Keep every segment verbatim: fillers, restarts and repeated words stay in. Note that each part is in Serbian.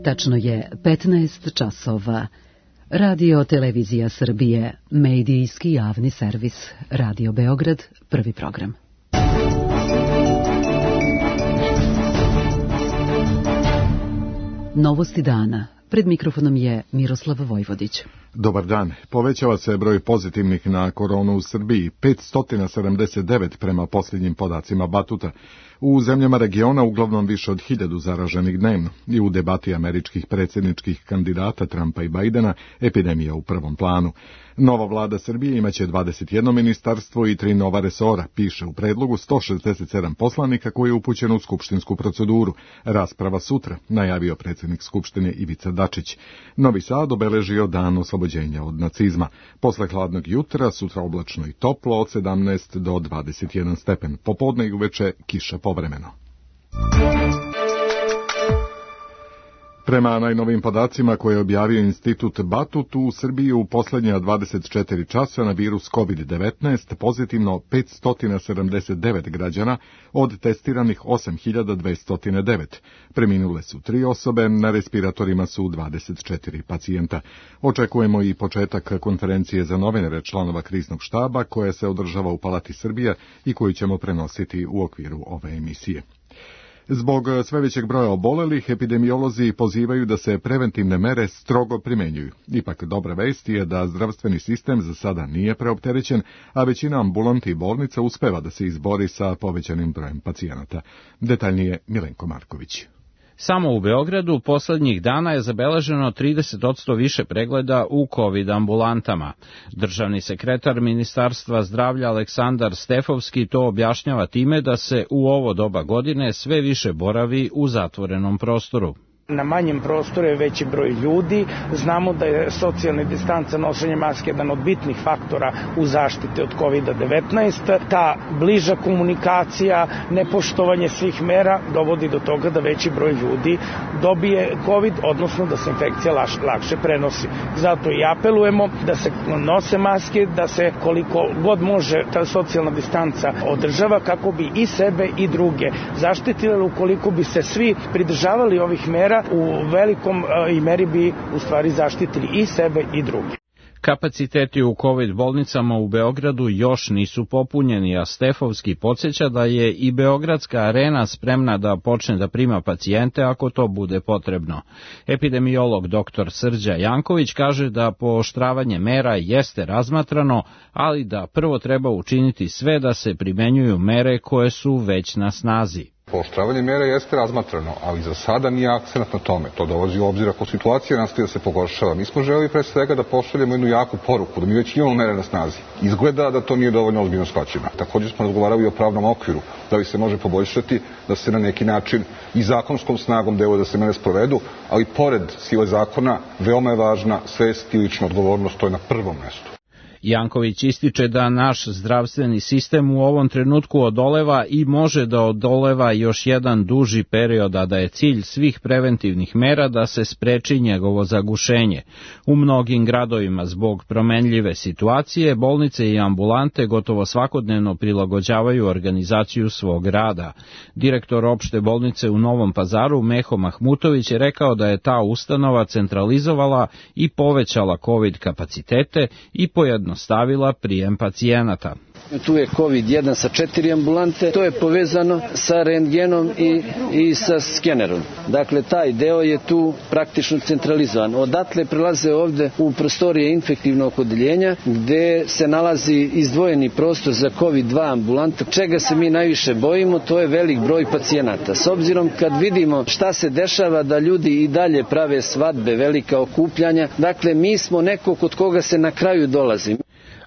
Tačno je petnaest časova. Radio Televizija Srbije, medijski javni servis, Radio Beograd, prvi program. Novosti dana. Pred mikrofonom je Miroslav Vojvodić. Dobar dan. Povećava se broj pozitivnih na koronu u Srbiji, petsto sedamdeset devet prema posljednjim podacima Batuta. U zemljama regiona uglavnom više od hiljadu zaraženih dnevno i u debati američkih predsjedničkih kandidata Trumpa i Bajdena epidemija u prvom planu. Nova vlada Srbije imaće dvadeset jedno ministarstvo i tri nova resora, piše u predlogu sto šezdeset sedam poslanika koji je upućen u skupštinsku proceduru. Rasprava sutra, najavio predsjednik Skupštine Ivica Dačić. Novi Sad obeležio dan oslobođenja od nacizma. Posle hladnog jutra, sutra oblačno i toplo od sedamnaest do dvadeset jedan stepen. Popodne i uveče kiša povremeno. Prema najnovim podacima koje je objavio Institut Batut, u Srbiji u posljednja dvadeset četiri časa na virus kovid devetnaest pozitivno petsto sedamdeset devet građana od testiranih osam hiljada dvesta devet. Preminule su tri osobe, na respiratorima su dvadeset četiri pacijenta. Očekujemo i početak konferencije za novinare članova kriznog štaba koja se održava u Palati Srbija i koju ćemo prenositi u okviru ove emisije. Zbog sve većeg broja obolelih, epidemiolozi pozivaju da se preventivne mere strogo primenjuju. Ipak dobra vest je da zdravstveni sistem za sada nije preopterećen, a većina ambulanti i bolnica uspeva da se izbori sa povećanim brojem pacijenata. Detaljnije Milenko Marković. Samo u Beogradu poslednjih dana je zabeleženo trideset posto više pregleda u COVID ambulantama. Državni sekretar Ministarstva zdravlja Aleksandar Stefovski to objašnjava time da se u ovo doba godine sve više boravi u zatvorenom prostoru. Na manjem prostoru je veći broj ljudi. Znamo da je socijalna distanca, nošenje maske jedan od bitnih faktora u zaštiti od kovid devetnaest. Ta bliža komunikacija, nepoštovanje svih mera dovodi do toga da veći broj ljudi dobije COVID, odnosno da se infekcija lakše prenosi. Zato i apelujemo da se nose maske, da se koliko god može ta socijalna distanca održava kako bi i sebe i druge zaštitili. Ukoliko bi se svi pridržavali ovih mera, u velikom i meri bi u stvari zaštitili i sebe i druge. Kapaciteti u COVID bolnicama u Beogradu još nisu popunjeni, a Stefovski podsjeća da je i Beogradska arena spremna da počne da prima pacijente ako to bude potrebno. Epidemiolog doktor Srđa Janković kaže da pooštravanje mera jeste razmatrano, ali da prvo treba učiniti sve da se primenjuju mere koje su već na snazi. Pooštravanje mera jeste razmatrano, ali za sada nije akcenat na tome. To dolazi u obzir ako situacija nastaje da se pogoršava. Mi smo želeli pre svega da pošaljemo jednu jaku poruku, da mi već imamo mere na snazi. Izgleda da to nije dovoljno ozbiljno shvaćeno. Također smo razgovarali o pravnom okviru, da li se može poboljšati, da se na neki način i zakonskom snagom deluje da se mere sprovedu, ali pored sile zakona veoma je važna svest i lična odgovornost, to je na prvom mestu. Janković ističe da naš zdravstveni sistem u ovom trenutku odoleva i može da odoleva još jedan duži period, a da je cilj svih preventivnih mera da se spreči njegovo zagušenje. U mnogim gradovima zbog promenljive situacije bolnice i ambulante gotovo svakodnevno prilagođavaju organizaciju svog rada. Direktor opšte bolnice u Novom Pazaru Meho Mahmutović je rekao da je ta ustanova centralizovala i povećala COVID kapacitete i pojednostavila stavila prijem pacijenata. Tu je kovid jedan sa četiri ambulante, to je povezano sa rentgenom i, i sa skenerom. Dakle, taj deo je tu praktično centralizovan. Odatle prelaze ovde u prostorije infektivnog odeljenja, gde se nalazi izdvojeni prostor za kovid dva ambulanta. Čega se mi najviše bojimo, to je velik broj pacijenata. S obzirom kad vidimo šta se dešava, da ljudi i dalje prave svadbe, velika okupljanja, dakle, mi smo neko kod koga se na kraju dolazi.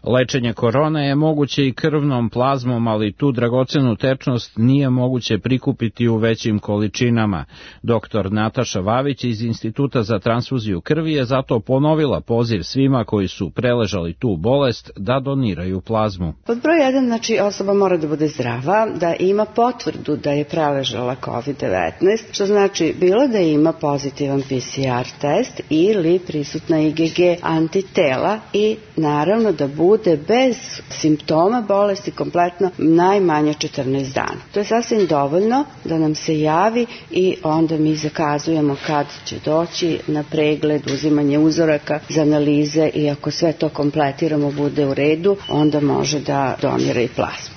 Lečenje korone je moguće i krvnom plazmom, ali tu dragocenu tečnost nije moguće prikupiti u većim količinama. Doktor Nataša Vavić iz Instituta za transfuziju krvi je zato ponovila poziv svima koji su preležali tu bolest da doniraju plazmu. Pod broj jedan, znači osoba mora da bude zdrava, da ima potvrdu da je preležala kovid devetnaest, što znači bilo da ima pozitivan P C R test ili prisutna I G G antitela i naravno da bude bude bez simptoma bolesti kompletno najmanje četrnaest dana. To je sasvim dovoljno da nam se javi i onda mi zakazujemo kad će doći na pregled, uzimanje uzoraka za analize i ako sve to kompletiramo, bude u redu, onda može da donira i plazmu.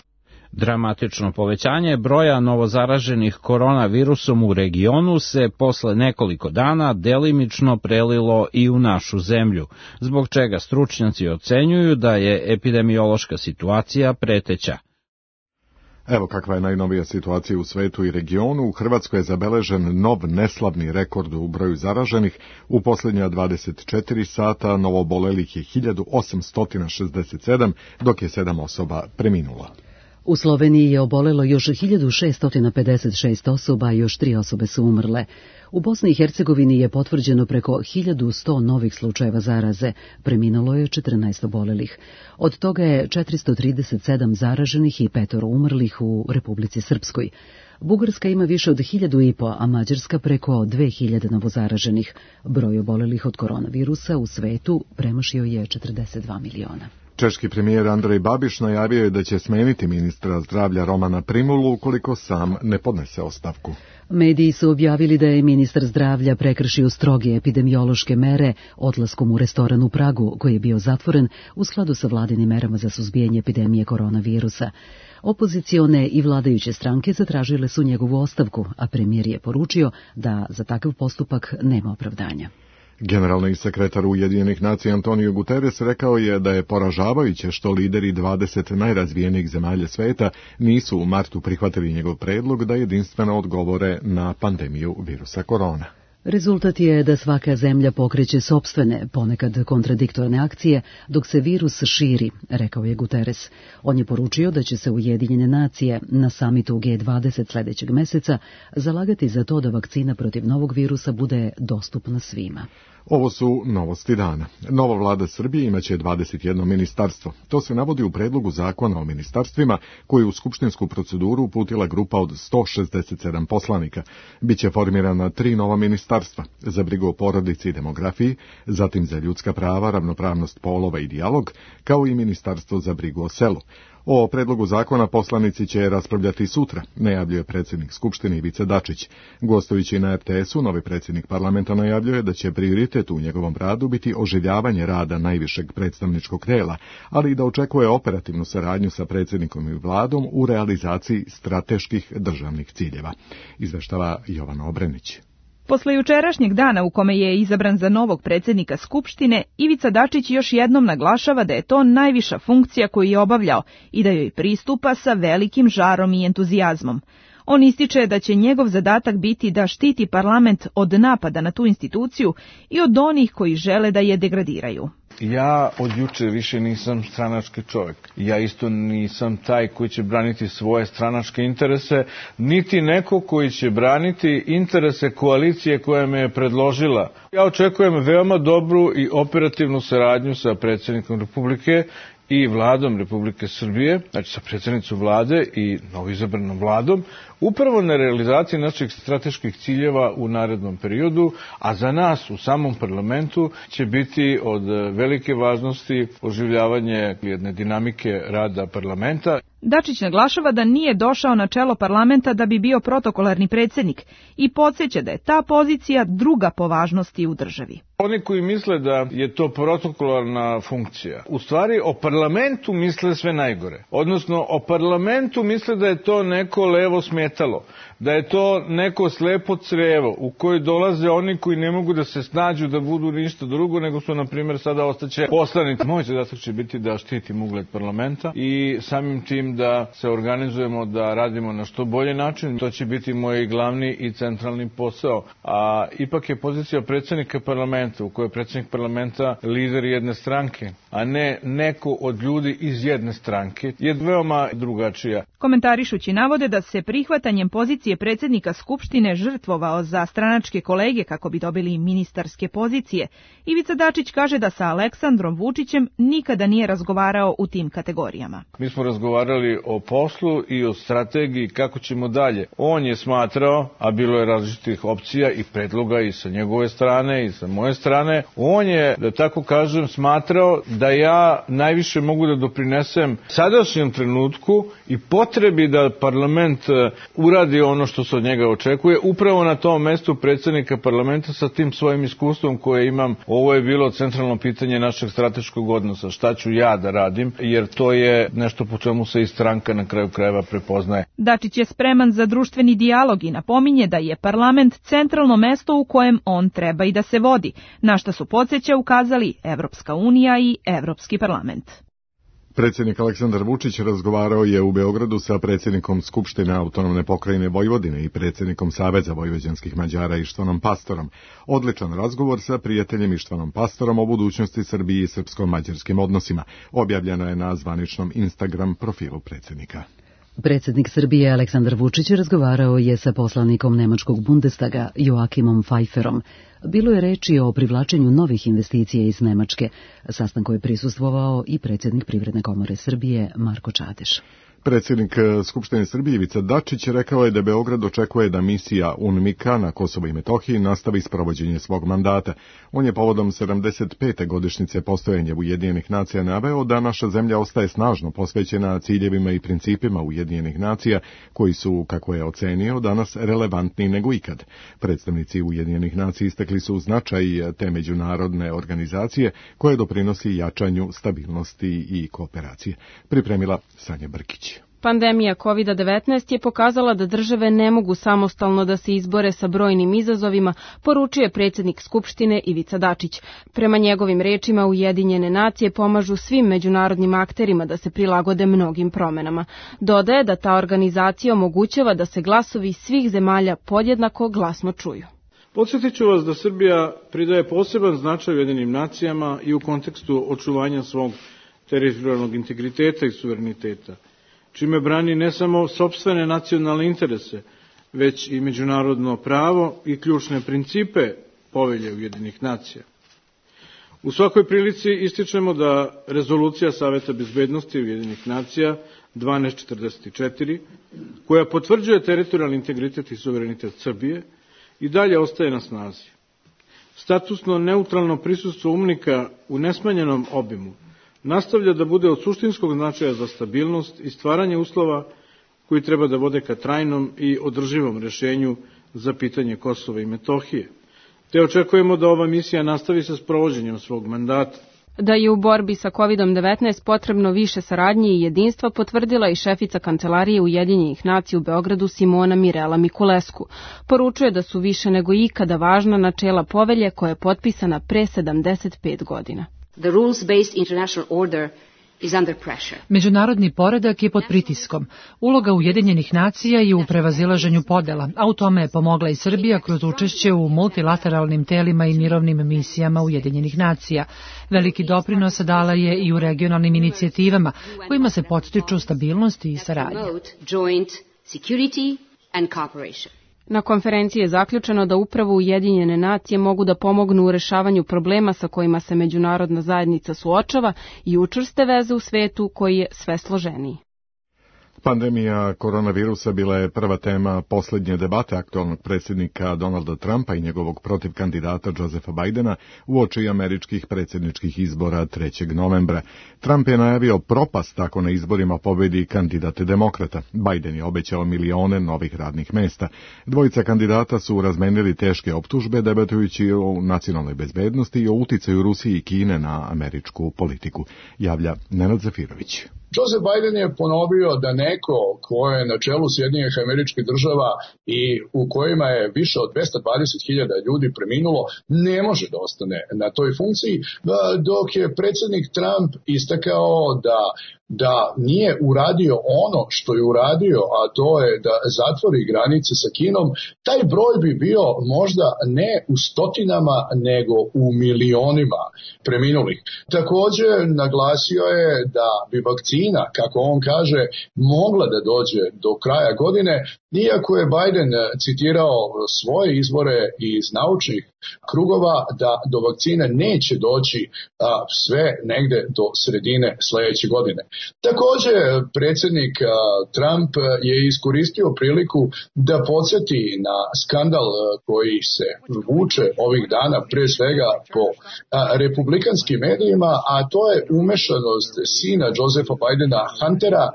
Dramatično povećanje broja novozaraženih koronavirusom u regionu se posle nekoliko dana delimično prelilo i u našu zemlju, zbog čega stručnjaci ocenjuju da je epidemiološka situacija preteća. Evo kakva je najnovija situacija u svetu i regionu. U Hrvatskoj je zabeležen nov neslavni rekord u broju zaraženih. U posljednja dvadeset četiri sata novoobolelih je hiljadu osamsto šezdeset sedam, dok je sedam osoba preminulo. U Sloveniji je obolelo još hiljadu šesto pedeset šest osoba, a još tri osobe su umrle. U Bosni i Hercegovini je potvrđeno preko hiljadu sto novih slučajeva zaraze, preminulo je četrnaest obolelih. Od toga je četiristo trideset sedam zaraženih i petoro umrlih u Republici Srpskoj. Bugarska ima više od hiljadu i po, a Mađarska preko dve hiljade novozaraženih. Broj obolelih od koronavirusa u svetu premašio je četrdeset dva miliona. Češki premijer Andrej Babiš najavio je da će smeniti ministra zdravlja Romana Primulu ukoliko sam ne podnese ostavku. Mediji su objavili da je ministar zdravlja prekršio stroge epidemiološke mere odlaskom u restoran u Pragu, koji je bio zatvoren u skladu sa vladinim merama za suzbijanje epidemije koronavirusa. Opozicione i vladajuće stranke zatražile su njegovu ostavku, a premijer je poručio da za takav postupak nema opravdanja. Generalni sekretar Ujedinjenih nacija Antonio Guterres rekao je da je poražavajuće što lideri dvadeset najrazvijenijih zemalja sveta nisu u martu prihvatili njegov predlog da jedinstveno odgovore na pandemiju virusa korona. Rezultat je da svaka zemlja pokreće sopstvene, ponekad kontradiktorne akcije, dok se virus širi, rekao je Guterres. On je poručio da će se Ujedinjene nacije na samitu G dvadeset sljedećeg meseca zalagati za to da vakcina protiv novog virusa bude dostupna svima. Ovo su novosti dana. Nova vlada Srbije imaće dvadeset jedno ministarstvo. To se navodi u predlogu zakona o ministarstvima koji je u skupštinsku proceduru uputila grupa od sto šezdeset sedam poslanika. Biće formirana tri nova ministarstva, za brigu o porodici i demografiji, zatim za ljudska prava, ravnopravnost polova i dijalog, kao i ministarstvo za brigu o selu. O predlogu zakona poslanici će raspravljati sutra, najavljuje predsjednik Skupštine Ivica Dačić. Gostujući na R T S-u, novi predsjednik parlamenta najavljuje da će prioritet u njegovom radu biti oživljavanje rada najvišeg predstavničkog tijela, ali i da očekuje operativnu saradnju sa predsjednikom i vladom u realizaciji strateških državnih ciljeva. Izveštava Jovana Obrenić. Posle jučerašnjeg dana u kome je izabran za novog predsjednika Skupštine, Ivica Dačić još jednom naglašava da je to najviša funkcija koju je obavljao i da joj pristupa sa velikim žarom i entuzijazmom. On ističe da će njegov zadatak biti da štiti parlament od napada na tu instituciju i od onih koji žele da je degradiraju. Ja od juče više nisam stranački čovjek. Ja isto nisam taj koji će braniti svoje stranačke interese, niti neko koji će braniti interese koalicije koja me je predložila. Ja očekujem veoma dobru i operativnu saradnju sa predsjednikom Republike i vladom Republike Srbije, znači sa predsjednicom vlade i novoizabranom vladom, upravo na realizaciji naših strateških ciljeva u narednom periodu, a za nas u samom parlamentu će biti od velike važnosti oživljavanje jedne dinamike rada parlamenta. Dačić naglašava da nije došao na čelo parlamenta da bi bio protokolarni predsjednik i podsjeća da je ta pozicija druga po važnosti u državi. Oni koji misle da je to protokolarna funkcija, u stvari o parlamentu misle sve najgore. Odnosno o parlamentu misle da je to neko levo smetalo, da je to neko slepo crevo u koji dolaze oni koji ne mogu da se snađu da budu ništa drugo, nego su, na primjer, sada ostaće poslanici. Moj zadatak će biti da štitim ugled parlamenta i samim tim da se organizujemo, da radimo na što bolji način. To će biti moj glavni i centralni posao. A ipak je pozicija predsjednika parlamenta, u kojoj je predsjednik parlamenta lider jedne stranke, a ne neko od ljudi iz jedne stranke, je veoma drugačija. Komentarišući navode da se prihvatanjem pozicije predsjednika Skupštine žrtvovao za stranačke kolege kako bi dobili ministarske pozicije, Ivica Dačić kaže da sa Aleksandrom Vučićem nikada nije razgovarao u tim kategorijama. Mi smo razgovarali o poslu i o strategiji kako ćemo dalje. On je smatrao, a bilo je različitih opcija i predloga i sa njegove strane i sa moje strane, on je, da tako kažem, smatrao da ja najviše mogu da doprinesem sadašnjem trenutku i potrebi da parlament uradi ono što se od njega očekuje, upravo na tom mestu predsjednika parlamenta sa tim svojim iskustvom koje imam. Ovo je bilo centralno pitanje našeg strateškog odnosa, šta ću ja da radim, jer to je nešto po čemu se i stranka na kraju krajeva prepoznaje. Dačić je spreman za društveni dijalog i napominje da je parlament centralno mesto u kojem on treba i da se vodi, na šta su podsjeća ukazali Evropska unija i Evropski parlament. Predsjednik Aleksandar Vučić razgovarao je u Beogradu sa predsjednikom Skupštine Autonomne pokrajine Vojvodine i predsjednikom Saveza vojvođanskih Mađara Ištvanom Pastorom. Odličan razgovor sa prijateljem Ištvanom Pastorom o budućnosti Srbije i srpsko-mađarskim odnosima. Objavljeno je na zvaničnom Instagram profilu predsjednika. Predsjednik Srbije Aleksandar Vučić razgovarao je sa poslanikom nemačkog Bundestaga Joachimom Pfeifferom. Bilo je reči o privlačenju novih investicija iz Nemačke. Sastanku je prisustvovao i predsjednik Privredne komore Srbije Marko Čadeš. Predsjednik Skupštine Srbije Ivica Dačić rekao je da Beograd očekuje da misija UNMIK-a na Kosovo i Metohiji nastavi sprovođenje svog mandata. On je povodom sedamdeset pete godišnjice postojanja Ujedinjenih nacija naveo da naša zemlja ostaje snažno posvećena ciljevima i principima Ujedinjenih nacija, koji su, kako je ocenio, danas relevantniji nego ikad. Predstavnici Ujedinjenih nacija istakli su značaj te međunarodne organizacije koje doprinosi jačanju stabilnosti i kooperacije. Pripremila Sanja Brkić. Pandemija kovid devetnaest je pokazala da države ne mogu samostalno da se izbore sa brojnim izazovima, poručuje predsjednik Skupštine Ivica Dačić. Prema njegovim rečima, Ujedinjene nacije pomažu svim međunarodnim akterima da se prilagode mnogim promenama. Dodaje da ta organizacija omogućava da se glasovi svih zemalja podjednako glasno čuju. Podsjetit ću vas da Srbija pridaje poseban značaj Ujedinjenim nacijama i u kontekstu očuvanja svog teritorijalnog integriteta i suvereniteta, čime brani ne samo sopstvene nacionalne interese, već i međunarodno pravo i ključne principe Povelje Ujedinjenih nacija. U svakoj prilici ističemo da rezolucija Saveta bezbednosti Ujedinjenih nacija dvanaest četrdeset četiri, koja potvrđuje teritorijalni integritet i suverenitet Srbije, i dalje ostaje na snazi. Statusno neutralno prisustvo UNMIK-a u nesmanjenom obimu nastavlja da bude od suštinskog značaja za stabilnost i stvaranje uslova koji treba da vode ka trajnom i održivom rešenju za pitanje Kosova i Metohije. Te očekujemo da ova misija nastavi sa sprovođenjem svog mandata. Da je u borbi sa kovid devetnaest potrebno više saradnje i jedinstva potvrdila i šefica Kancelarije Ujedinjenih nacija u Beogradu Simona Mirela Mikulesku. Poručuje da su više nego ikada važna načela povelje koja je potpisana pre sedamdeset pet godina. The rules-based international order is under pressure. Međunarodni poredak je pod pritiskom. Uloga Ujedinjenih nacija je u prevazilaženju podela, a u tome je pomogla i Srbija kroz učešće u multilateralnim telima i mirovnim misijama Ujedinjenih nacija. Veliki doprinos dala je i u regionalnim inicijativama kojima se podstiču stabilnost i saradnja. Joint security and cooperation. Na konferenciji je zaključeno da upravo Ujedinjene nacije mogu da pomognu u rešavanju problema sa kojima se međunarodna zajednica suočava i učvrste veze u svetu koji je sve složeniji. Pandemija koronavirusa bila je prva tema posljednje debate aktualnog predsjednika Donalda Trumpa i njegovog protivkandidata Josepha Bidena uoči američkih predsjedničkih izbora trećeg novembra. Trump je najavio propast ako na izborima pobedi kandidat demokrata. Biden je obećao milione novih radnih mesta. Dvojica kandidata su razmenili teške optužbe debatujući o nacionalnoj bezbednosti i o uticaju Rusije i Kine na američku politiku. Javlja Nenad Zafirović. Joseph Biden je ponovio da neko ko je na čelu Sjedinjenih Američkih Država i u kojima je više od dvesta dvadeset hiljada ljudi preminulo, ne može da ostane na toj funkciji, dok je predsjednik Trump istakao da da nije uradio ono što je uradio, a to je da zatvori granice sa Kinom, taj broj bi bio možda ne u stotinama, nego u milionima preminulih. Također naglasio je da bi vakcina, kako on kaže, mogla da dođe do kraja godine, iako je Biden citirao svoje izvore iz naučnih krugova da do vakcine neće doći a, sve negde do sredine sledeće godine. Takođe, predsjednik a, Trump je iskoristio priliku da podsjeti na skandal a, koji se vuče ovih dana, pre svega po a, republikanskim medijima, a to je umešanost sina Josepha Bidena, Huntera,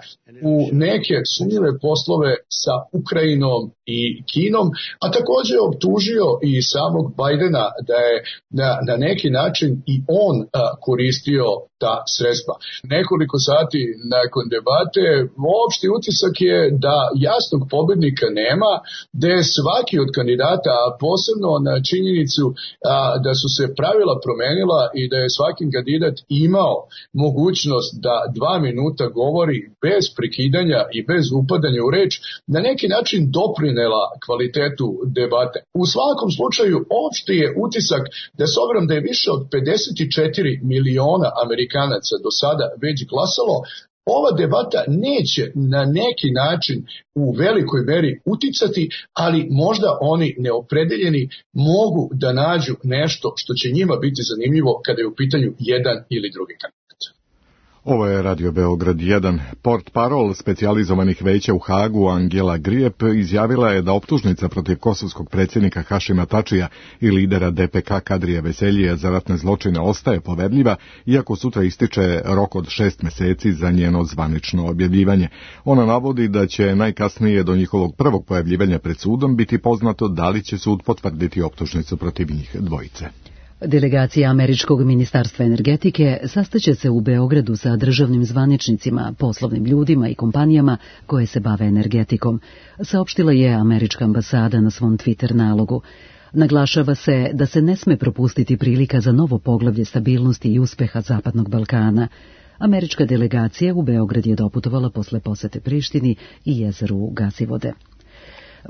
u neke sumnjive poslove sa Ukrajinom i Kinom, a takođe je optužio i samog Bidena da je na, na neki način i on a, koristio ta sredstva. Nekoliko sati nakon debate opšti utisak je da jasnog pobednika nema, da je svaki od kandidata, a posebno na činjenicu a, da su se pravila promenila i da je svaki kandidat imao mogućnost da dva minuta govori bez prekidanja i bez upadanja u reč, na neki način doprinela kvalitetu debate. U svakom slučaju opšti je utisak da s obzirom da je više od pedeset četiri miliona Amerikanaca do sada već glasalo, ova debata neće na neki način u velikoj meri uticati, ali možda oni neopredeljeni mogu da nađu nešto što će njima biti zanimljivo kada je u pitanju jedan ili drugi kandidat. Ovo je Radio Beograd jedan. Port parol specijalizovanih veća u Hagu Angela Grijep izjavila je da optužnica protiv kosovskog predsjednika Hašima Tačija i lidera D P K Kadrija Veseljija za ratne zločine ostaje poverljiva, iako sutra ističe rok od šest meseci za njeno zvanično objavljivanje. Ona navodi da će najkasnije do njihovog prvog pojavljivanja pred sudom biti poznato da li će sud potvrditi optužnicu protiv njih dvojice. Delegacija Američkog ministarstva energetike sastaće se u Beogradu sa državnim zvaničnicima, poslovnim ljudima i kompanijama koje se bave energetikom, saopštila je američka ambasada na svom Twitter nalogu. Naglašava se da se ne sme propustiti prilika za novo poglavlje stabilnosti i uspeha Zapadnog Balkana. Američka delegacija u Beograd je doputovala posle posete Prištini i jezeru Gasivode.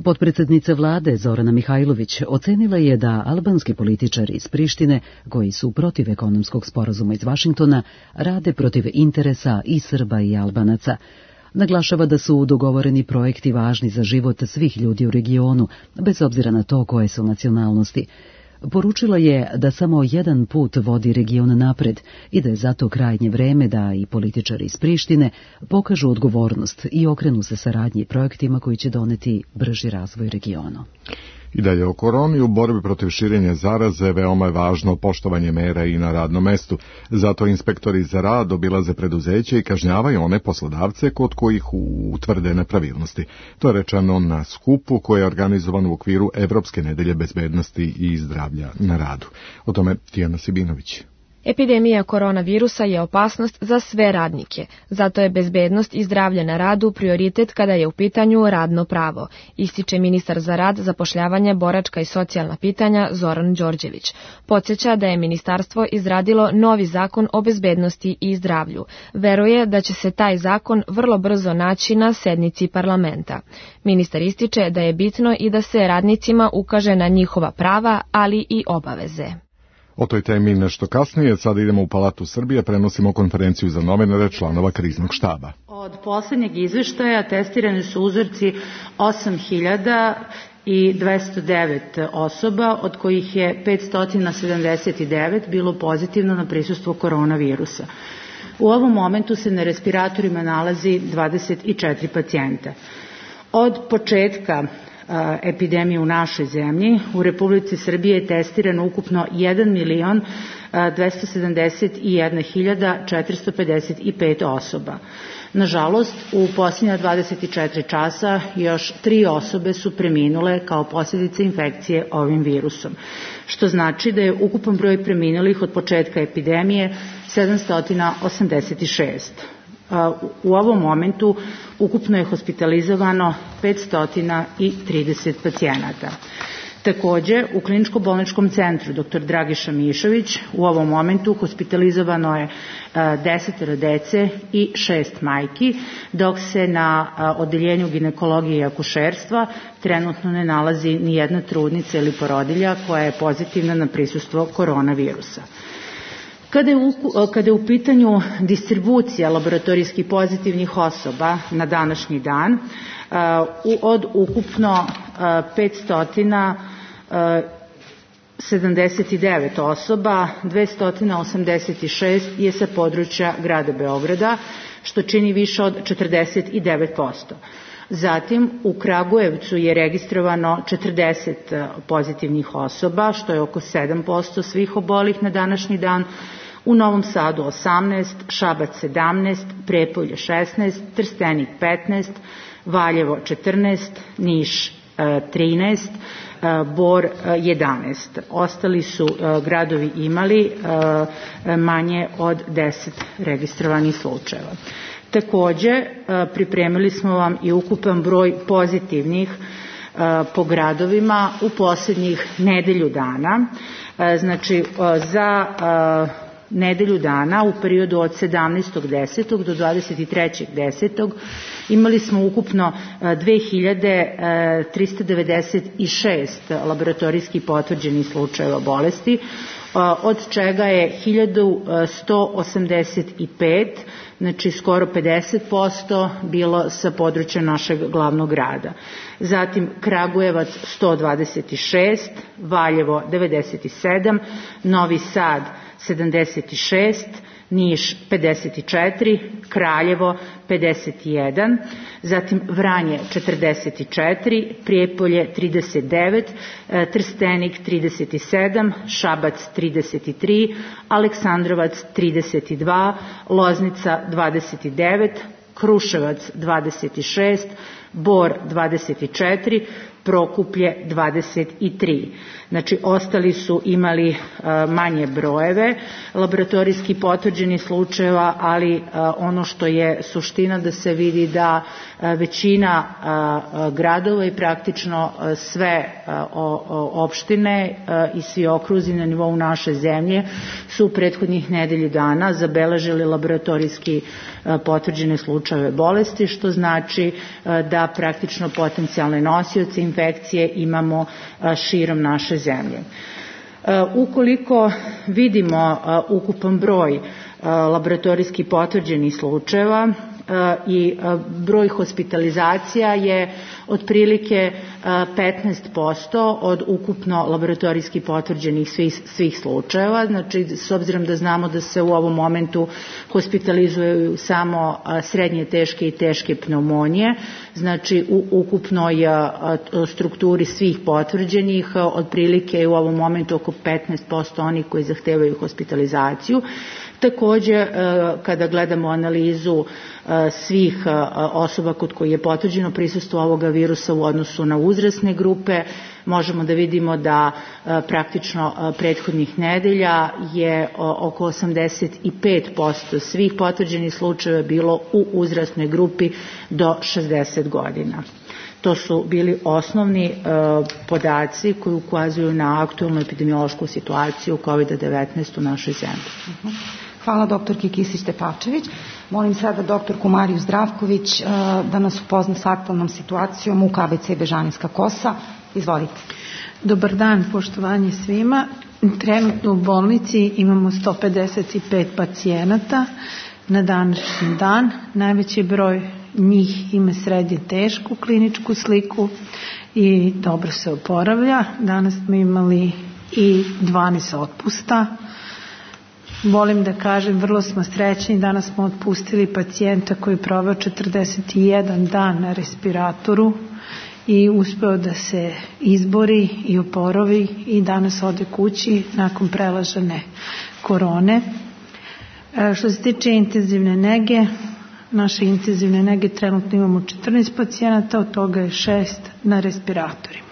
Potpredsednica vlade Zorana Mihajlović ocenila je da albanski političari iz Prištine, koji su protiv ekonomskog sporazuma iz Vašingtona, rade protiv interesa i Srba i Albanaca. Naglašava da su dogovoreni projekti važni za život svih ljudi u regionu, bez obzira na to koje su nacionalnosti. Poručila je da samo jedan put vodi region napred i da je zato krajnje vreme da i političari iz Prištine pokažu odgovornost i okrenu se saradnji projektima koji će doneti brži razvoj regionu. I dalje o koroni, u borbi protiv širenja zaraze veoma je važno poštovanje mera i na radnom mestu. Zato inspektori za rad obilaze preduzeće i kažnjavaju one poslodavce kod kojih utvrde nepravilnosti. To je rečeno na skupu koji je organizovan u okviru Evropske nedelje bezbednosti i zdravlja na radu. O tome Tijana Sibinović. Epidemija koronavirusa je opasnost za sve radnike, zato je bezbednost i zdravlje na radu prioritet kada je u pitanju radno pravo, ističe ministar za rad, zapošljavanje, boračka i socijalna pitanja Zoran Đorđević. Podsjeća da je ministarstvo izradilo novi zakon o bezbednosti i zdravlju. Veruje da će se taj zakon vrlo brzo naći na sednici parlamenta. Ministar ističe da je bitno i da se radnicima ukaže na njihova prava, ali i obaveze. O toj temi nešto kasnije, sada idemo u Palatu Srbije, prenosimo konferenciju za novinare članova kriznog štaba. Od poslednjeg izveštaja testirani su uzorci osam hiljada dvesta devet osoba, od kojih je petsto sedamdeset devet bilo pozitivno na prisustvo koronavirusa. U ovom momentu se na respiratorima nalazi dvadeset četiri pacijenta. Od početka epidemije u našoj zemlji, u Republici Srbije je testirano ukupno jedan milion dvesta sedamdeset jedna hiljada četiristo pedeset pet osoba. Nažalost, u posljednja dvadeset četiri časa još tri osobe su preminule kao posljedice infekcije ovim virusom, što znači da je ukupan broj preminulih od početka epidemije sedamsto osamdeset šest. U ovom momentu ukupno je hospitalizovano petsto trideset pacijenata. Takođe, u kliničko-bolničkom centru dr Dragiša Mišović u ovom momentu hospitalizovano je deset dece i šest majki, dok se na odeljenju ginekologije i akušerstva trenutno ne nalazi ni jedna trudnica ili porodilja koja je pozitivna na prisustvo koronavirusa. Kada je, u, kada je u pitanju distribucija laboratorijskih pozitivnih osoba na današnji dan, od ukupno petsto sedamdeset devet osoba, dvesta osamdeset šest je sa područja grada Beograda, što čini više od četrdeset devet posto. Zatim, u Kragujevcu je registrovano četrdeset pozitivnih osoba, što je oko sedam posto svih obolih na današnji dan, u Novom Sadu osamnaest, Šabac sedamnaest, Prijepolje šesnaest, Trstenik petnaest, Valjevo četrnaest, Niš trinaest, Bor jedanaest. Ostali su gradovi imali manje od deset registrovanih slučajeva. Takođe, pripremili smo vam i ukupan broj pozitivnih po gradovima u poslednjih nedelju dana. Znači, za nedelju dana u periodu od sedamnaestog desetog do dvadeset trećeg desetog imali smo ukupno dve hiljade trista devedeset šest laboratorijski potvrđenih slučajeva bolesti, od čega je hiljadu sto osamdeset pet, znači skoro pedeset posto, bilo sa područja našeg glavnog grada. Zatim Kragujevac sto dvadeset šest, Valjevo devedeset sedam, Novi Sad sedamdeset šest, Niš pedeset četiri, Kraljevo pedeset jedan, zatim Vranje četrdeset četiri, Prijepolje trideset devet, Trstenik trideset sedam, Šabac trideset tri, Aleksandrovac trideset dva, Loznica dvadeset devet, Kruševac dvadeset šest, Bor dvadeset četiri, Prokuplje dvadeset tri. Znači, ostali su imali manje brojeve laboratorijski potvrđenih slučajeva, ali ono što je suština da se vidi da većina gradova i praktično sve opštine i svi okruzi na nivou naše zemlje su u prethodnih nedelju dana zabeležili laboratorijski potvrđene slučajeve bolesti, što znači da praktično potencijalne nosioce infekcije imamo širom naše zemlje. Ukoliko vidimo ukupan broj laboratorijski potvrđenih slučajeva i broj hospitalizacija je otprilike petnaest posto od ukupno laboratorijski potvrđenih svih, svih slučajeva. Znači, s obzirom da znamo da se u ovom momentu hospitalizuju samo srednje teške i teške pneumonije, znači u ukupnoj strukturi svih potvrđenih otprilike je u ovom momentu oko petnaest posto onih koji zahtevaju hospitalizaciju. Takođe, kada gledamo analizu svih osoba kod koji je potvrđeno prisustvo ovoga virusa u odnosu na uzrasne grupe, možemo da vidimo da praktično prethodnih nedelja je oko osamdeset pet posto svih potvrđenih slučajeva bilo u uzrasnoj grupi do šezdeset godina. To su bili osnovni podaci koji ukazuju na aktualnu epidemiološku situaciju kovid devetnaest u našoj zemlji. Hvala doktorki Kisić-Tepavčević. Molim sada doktorku Mariju Zdravković da nas upozna s aktualnom situacijom u K B C Bežanijska Kosa. Izvolite. Dobar dan, poštovanje svima. Trenutno u bolnici imamo sto pedeset pet pacijenata na današnji dan. Najveći broj njih ima srednje tešku kliničku sliku i dobro se oporavlja. Danas smo imali i dvanaest otpusta. Volim da kažem, vrlo smo srećni, danas smo otpustili pacijenta koji je proveo četrdeset jedan dan na respiratoru i uspeo da se izbori i oporovi i danas ode kući nakon prelažene korone. Što se tiče intenzivne nege, naše intenzivne nege trenutno imamo četrnaest pacijenata, od toga je šest na respiratorima.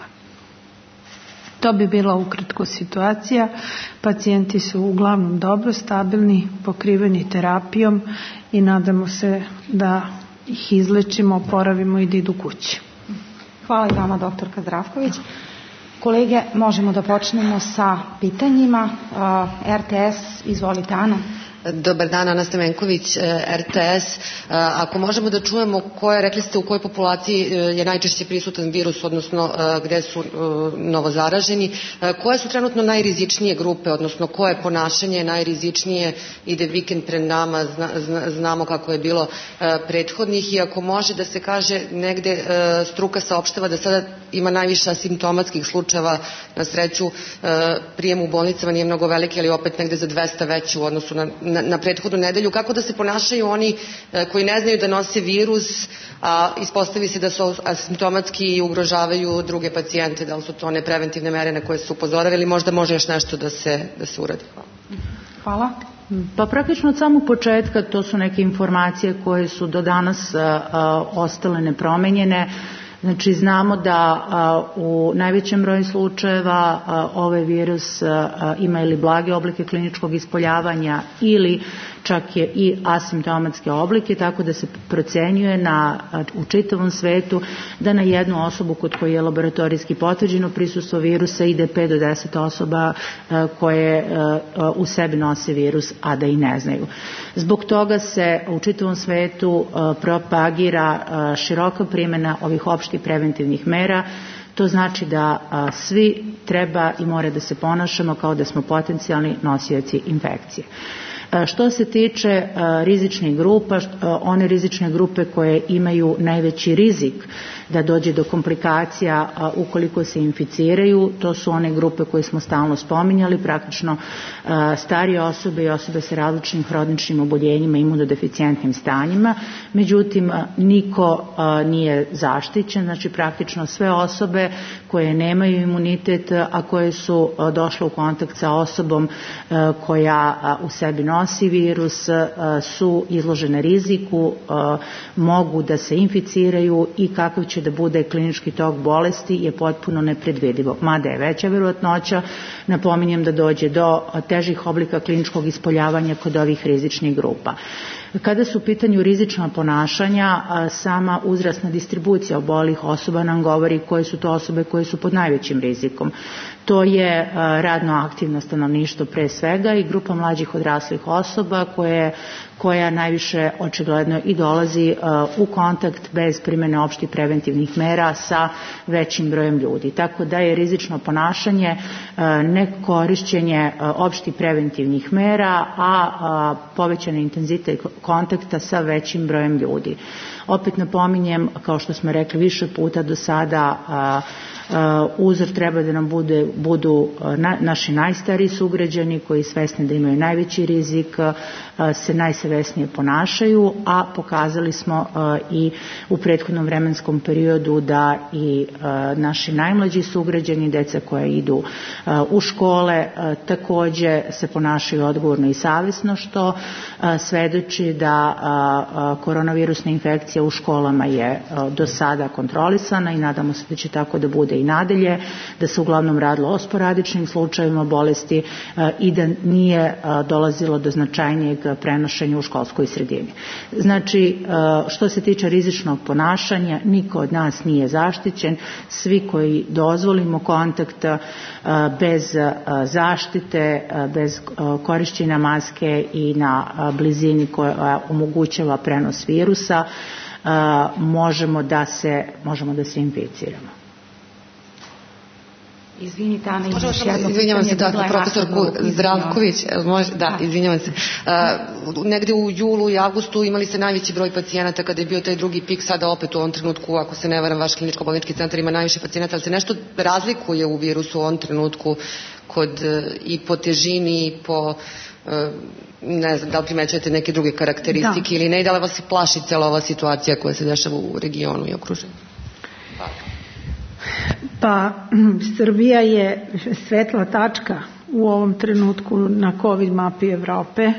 To bi bila ukratko situacija. Pacijenti su uglavnom dobro, stabilni, pokriveni terapijom i nadamo se da ih izlečimo, oporavimo i da idu kući. Hvala i vama, doktorka Zdravković. Kolege, možemo da počnemo sa pitanjima. R T S, izvolite, Ana. Dobar dan, Ana Stemenković, R T S. Ako možemo da čujemo koje, rekli ste u kojoj populaciji je najčešće prisutan virus, odnosno gde su novozaraženi, koje su trenutno najrizičnije grupe, odnosno koje ponašanje najrizičnije, ide vikend pred nama, znamo kako je bilo prethodnih, i ako može da se kaže, negde struka saopštava da sada ima najviše asimptomatskih slučajeva, na sreću prijem u bolnicama nije mnogo veliki, ali opet negde za dvesta veći u odnosu na Na, na prethodnu nedelju. Kako da se ponašaju oni e, koji ne znaju da nose virus, a ispostavi se da su asimptomatski i ugrožavaju druge pacijente? Da li su to one preventivne mere na koje su upozoravali, ili možda može još nešto da se, da se uradi? Hvala. Pa praktično od samog početka to su neke informacije koje su do danas a, a, ostale nepromenjene. Znači, znamo da a, u najvećem broju slučajeva a, ovaj virus a, ima ili blage oblike kliničkog ispoljavanja ili čak je i asimptomatske oblike, tako da se procenjuje na, u čitavom svetu da na jednu osobu kod koje je laboratorijski potvrđeno prisustvo virusa ide pet do deset osoba a, koje a, u sebi nose virus, a da i ne znaju. Zbog toga se u čitavom svetu a, propagira a, široka primjena ovih opštih preventivnih mera. To znači da a, svi treba i mora da se ponašamo kao da smo potencijalni nosioci infekcije. Što se tiče rizičnih grupa, one rizične grupe koje imaju najveći rizik da dođe do komplikacija ukoliko se inficiraju, to su one grupe koje smo stalno spominjali, praktično starije osobe i osobe sa različitim hroničnim oboljenjima i imunodeficijentnim stanjima. Međutim, niko nije zaštićen, znači praktično sve osobe koje nemaju imunitet, a koje su došle u kontakt sa osobom koja u sebi nosi virus, su izložene riziku, mogu da se inficiraju i kakav će da bude klinički tok bolesti je potpuno nepredvidivo. Mada je veća verovatnoća, napominjem, da dođe do težih oblika kliničkog ispoljavanja kod ovih rizičnih grupa. Kada su u pitanju rizična ponašanja, sama uzrasna distribucija obolih osoba nam govori koje su to osobe koje su pod najvećim rizikom. To je radno aktivno stanovništvo pre svega i grupa mlađih odraslih osoba koje, koja najviše očigledno i dolazi u kontakt bez primjene opštih preventivnih mera sa većim brojem ljudi. Tako da je rizično ponašanje nekorišćenje opštih preventivnih mera, a povećani intenzitet kontakta sa većim brojem ljudi. Opet napominjem, kao što smo rekli više puta do sada, Uh, uzor treba da nam bude, budu uh, na, naši najstariji sugrađani koji svesni da imaju najveći rizik, uh, se najsavesnije ponašaju, a pokazali smo uh, i u prethodnom vremenskom periodu da i uh, naši najmlađi sugrađani, deca koja idu uh, u škole, uh, takođe se ponašaju odgovorno i savesno, što uh, svedoči da uh, uh, koronavirusna infekcija u školama je uh, do sada kontrolisana i nadamo se da će tako da bude i nadalje, da se uglavnom radilo o sporadičnim slučajevima bolesti i da nije dolazilo do značajnijeg prenošenja u školskoj sredini. Znači, što se tiče rizičnog ponašanja, niko od nas nije zaštićen, svi koji dozvolimo kontakt bez zaštite, bez korišćenja maske i na blizini koja omogućava prenos virusa, možemo da se, možemo da se inficiramo. Izvinite, Ana, imaš još jedno izvinjavam se, da, profesorku Zdravković, može, da, izvinjavam se. Uh, negde u julu i avgustu imali ste najveći broj pacijenata kada je bio taj drugi pik, sada opet u ovom trenutku, ako se ne varam, vaš kliničko-bolnički centar ima najviše pacijenata, ali se nešto razlikuje u virusu u ovom trenutku kod uh, i po težini i po uh, ne znam, da li primećujete neke druge karakteristike da. Ili ne, da li vas plaši cela ova situacija koja se dešava u regionu i okruženju? Hvala. Pa, Srbija je svetla tačka u ovom trenutku na COVID mapi Evrope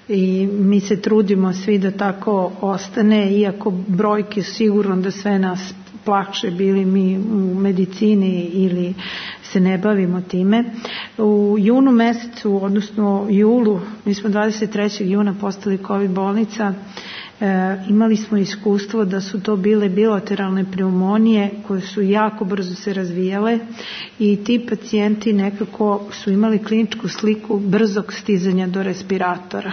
i mi se trudimo svi da tako ostane, iako brojke sigurno da sve nas plaše, bili mi u medicini ili se ne bavimo time. U junu mesecu, odnosno julu, mi smo dvadeset trećeg juna postali COVID bolnica, e, imali smo iskustvo da su to bile bilateralne pneumonije koje su jako brzo se razvijale i ti pacijenti nekako su imali kliničku sliku brzog stizanja do respiratora.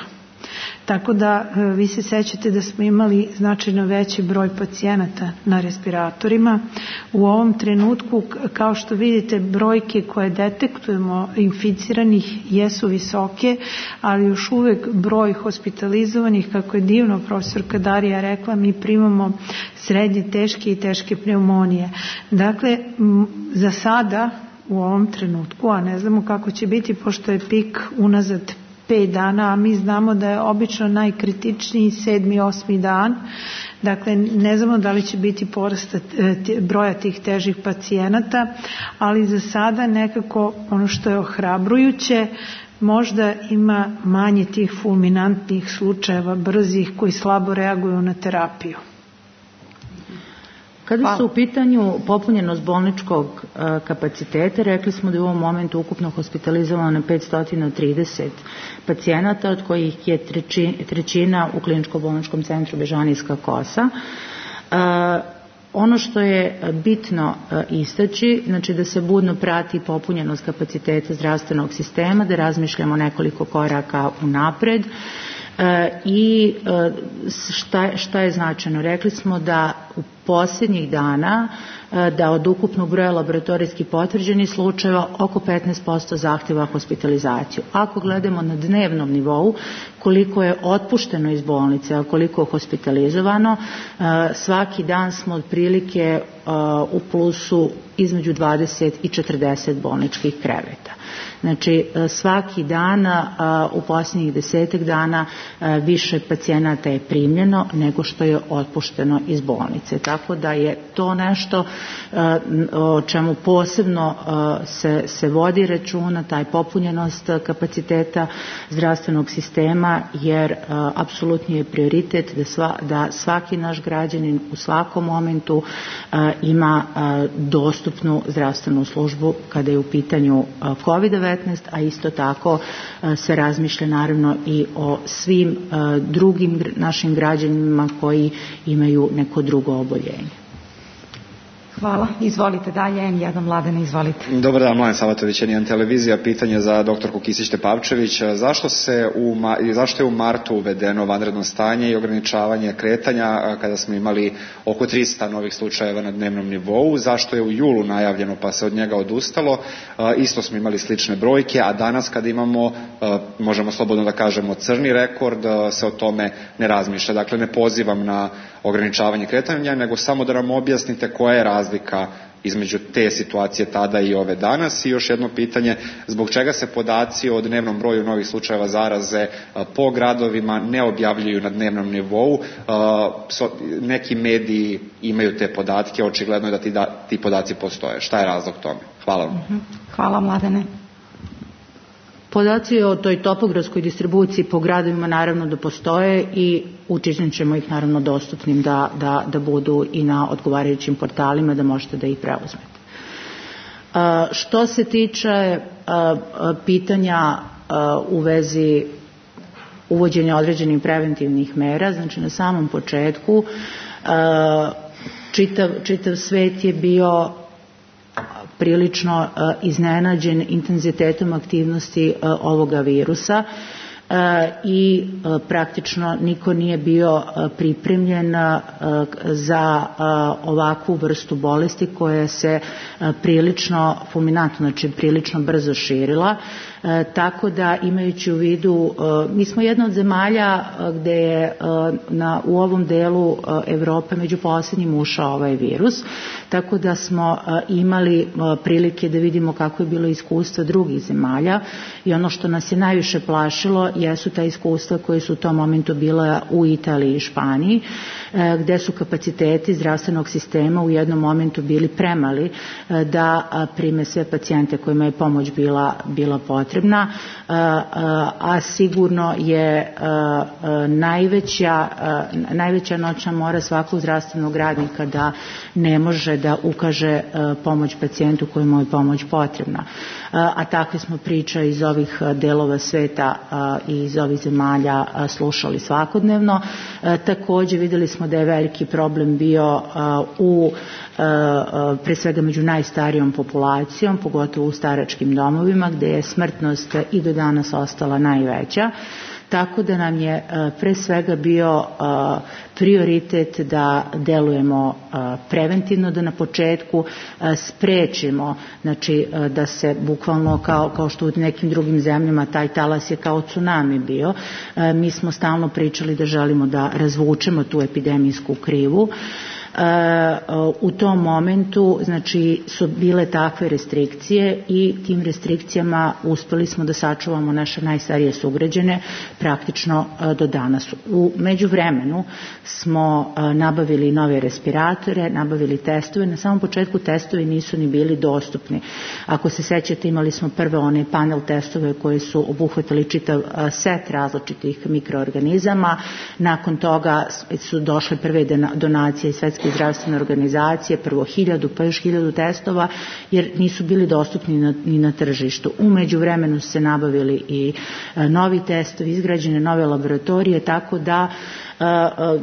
Tako da vi se sećate da smo imali značajno veći broj pacijenata na respiratorima. U ovom trenutku, kao što vidite, brojke koje detektujemo inficiranih jesu visoke, ali još uvek broj hospitalizovanih, kako je divno profesorka Darija rekla, mi primamo srednje teške i teške pneumonije. Dakle, za sada u ovom trenutku, a ne znamo kako će biti pošto je pik unazad pet dana, a mi znamo da je obično najkritičniji sedmi, osmi dan. Dakle, ne znamo da li će biti porast broja tih težih pacijenata, ali za sada nekako ono što je ohrabrujuće, možda ima manje tih fulminantnih slučajeva brzih koji slabo reaguju na terapiju. Kada su u pitanju popunjenost bolničkog kapaciteta, rekli smo da je u ovom momentu ukupno hospitalizovano petsto trideset pacijenata, od kojih je trećina u kliničko-bolničkom centru Bežanijska kosa. Ono što je bitno istaći, znači da se budno prati popunjenost kapaciteta zdravstvenog sistema, da razmišljamo nekoliko koraka unapred. I šta, šta je značajno? Rekli smo da u posljednjih dana da od ukupnog broja laboratorijski potvrđenih slučajeva oko petnaest posto zahtjeva hospitalizaciju. Ako gledamo na dnevnom nivou koliko je otpušteno iz bolnice, a koliko je hospitalizovano, svaki dan smo otprilike u plusu između dvadeset i četrdeset bolničkih kreveta. Znači svaki dan u posljednjih desetak dana više pacijenata je primljeno nego što je otpušteno iz bolnice. Tako da je to nešto o čemu posebno se, se vodi računa, taj popunjenost kapaciteta zdravstvenog sistema, jer apsolutni je prioritet da, sva, da svaki naš građanin u svakom momentu ima dostupnu zdravstvenu službu kada je u pitanju kovid devetnaest, a isto tako se razmišlja naravno i o svim drugim našim građanima koji imaju neko drugo oboljenje. Hvala. Izvolite dalje. em jedan Mladene, izvolite. Dobar dan, Mladen Savatović, en jedan televizija. Pitanje za doktorku Kisić-Tepavčević. Zašto, se u, zašto je u martu uvedeno vanredno stanje i ograničavanje kretanja kada smo imali oko trista novih slučajeva na dnevnom nivou? Zašto je u julu najavljeno pa se od njega odustalo? Isto smo imali slične brojke, a danas kada imamo, možemo slobodno da kažemo, crni rekord, se o tome ne razmišlja. Dakle, ne pozivam na ograničavanje kretanja, nego samo da nam objasnite koja je razlika između te situacije tada i ove danas. I još jedno pitanje, zbog čega se podaci o dnevnom broju novih slučajeva zaraze po gradovima ne objavljuju na dnevnom nivou? Neki mediji imaju te podatke, očigledno je da ti, da, ti podaci postoje. Šta je razlog tome? Hvala vam. Hvala, Mladene. Podaci o toj topografskoj distribuciji po gradovima naravno da postoje i učinit ćemo ih naravno dostupnim da, da, da budu i na odgovarajućim portalima da možete da ih preuzmete. A, što se tiče a, a, pitanja a, u vezi uvođenja određenih preventivnih mera, znači na samom početku a, čitav, čitav svet je bio prilično uh, iznenađen intenzitetom aktivnosti uh, ovoga virusa uh, i uh, praktično niko nije bio uh, pripremljen uh, za uh, ovakvu vrstu bolesti koja se uh, prilično fulminantno, znači prilično brzo širila. E, tako da imajući u vidu, e, mi smo jedna od zemalja e, gde je e, na, u ovom delu e, Evrope među posljednjim ušao ovaj virus, tako da smo e, imali e, prilike da vidimo kako je bilo iskustvo drugih zemalja i ono što nas je najviše plašilo jesu ta iskustva koje su u tom momentu bila u Italiji i Španiji, gde su kapaciteti zdravstvenog sistema u jednom momentu bili premali da prime sve pacijente kojima je pomoć bila, bila potrebna, a sigurno je najveća, najveća noćna mora svakog zdravstvenog radnika da ne može da ukaže pomoć pacijentu kojemu je pomoć potrebna. A takve smo priče iz ovih delova sveta i iz ovih zemalja slušali svakodnevno. Takođe videli smo da je veliki problem bio u pre svega među najstarijom populacijom, pogotovo u staračkim domovima gde je smrtnost i do danas ostala najveća. Tako da nam je pre svega bio prioritet da delujemo preventivno, da na početku sprečimo, znači da se bukvalno kao, kao što u nekim drugim zemljama taj talas je kao tsunami bio. Mi smo stalno pričali da želimo da razvučemo tu epidemijsku krivu. U tom momentu znači su bile takve restrikcije i tim restrikcijama uspeli smo da sačuvamo naše najstarije sugrađane praktično do danas. U međuvremenu smo nabavili nove respiratore, nabavili testove. Na samom početku testovi nisu ni bili dostupni. Ako se sećate, imali smo prve one panel testove koje su obuhvatili čitav set različitih mikroorganizama. Nakon toga su došle prve donacije iz Svetske zdravstvene organizacije, prvo hiljadu, pa još hiljadu testova, jer nisu bili dostupni na, ni na tržištu. U međuvremenu su se nabavili i a, novi testovi, izgrađene nove laboratorije, tako da a,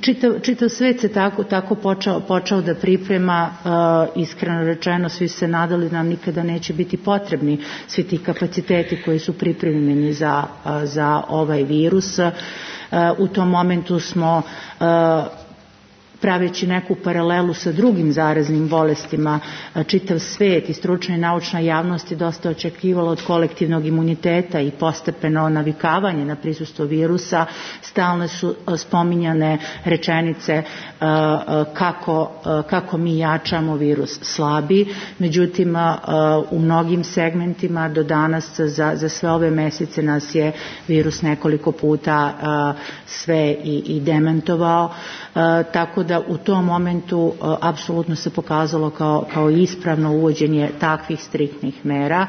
čitav, čitav svet se tako, tako počeo, počeo da priprema, a, iskreno rečeno, svi se nadali da nam nikada neće biti potrebni svi ti kapaciteti koji su pripremljeni za, a, za ovaj virus. A, u tom momentu smo a, praveći neku paralelu sa drugim zaraznim bolestima, čitav svet i stručna i naučna javnost je dosta očekivalo od kolektivnog imuniteta i postepeno navikavanje na prisustvo virusa. Stalno su spominjane rečenice kako, kako mi jačamo, virus slabi. Međutim, u mnogim segmentima do danas za, za sve ove mesece nas je virus nekoliko puta sve i, i demantovao. Tako da u tom momentu apsolutno se pokazalo kao, kao ispravno uvođenje takvih striktnih mera.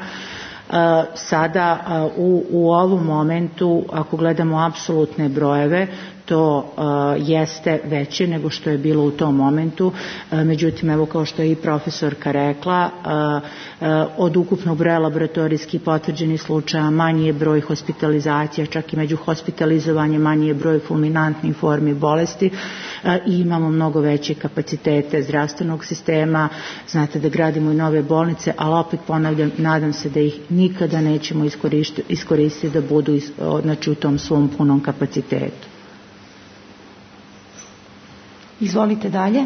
Sada u, u ovom momentu, ako gledamo apsolutne brojeve, to uh, jeste veće nego što je bilo u tom momentu. Uh, međutim, evo kao što je i profesorka rekla, uh, uh, od ukupnog broja laboratorijskih potvrđenih slučaja manji je broj hospitalizacija, čak i među hospitalizovanjem manji je broj fulminantnih formi bolesti uh, i imamo mnogo veće kapacitete zdravstvenog sistema. Znate da gradimo i nove bolnice, ali opet ponavljam, nadam se da ih nikada nećemo iskoristiti, iskoristiti da budu is, znači, u tom svom punom kapacitetu. Izvolite dalje.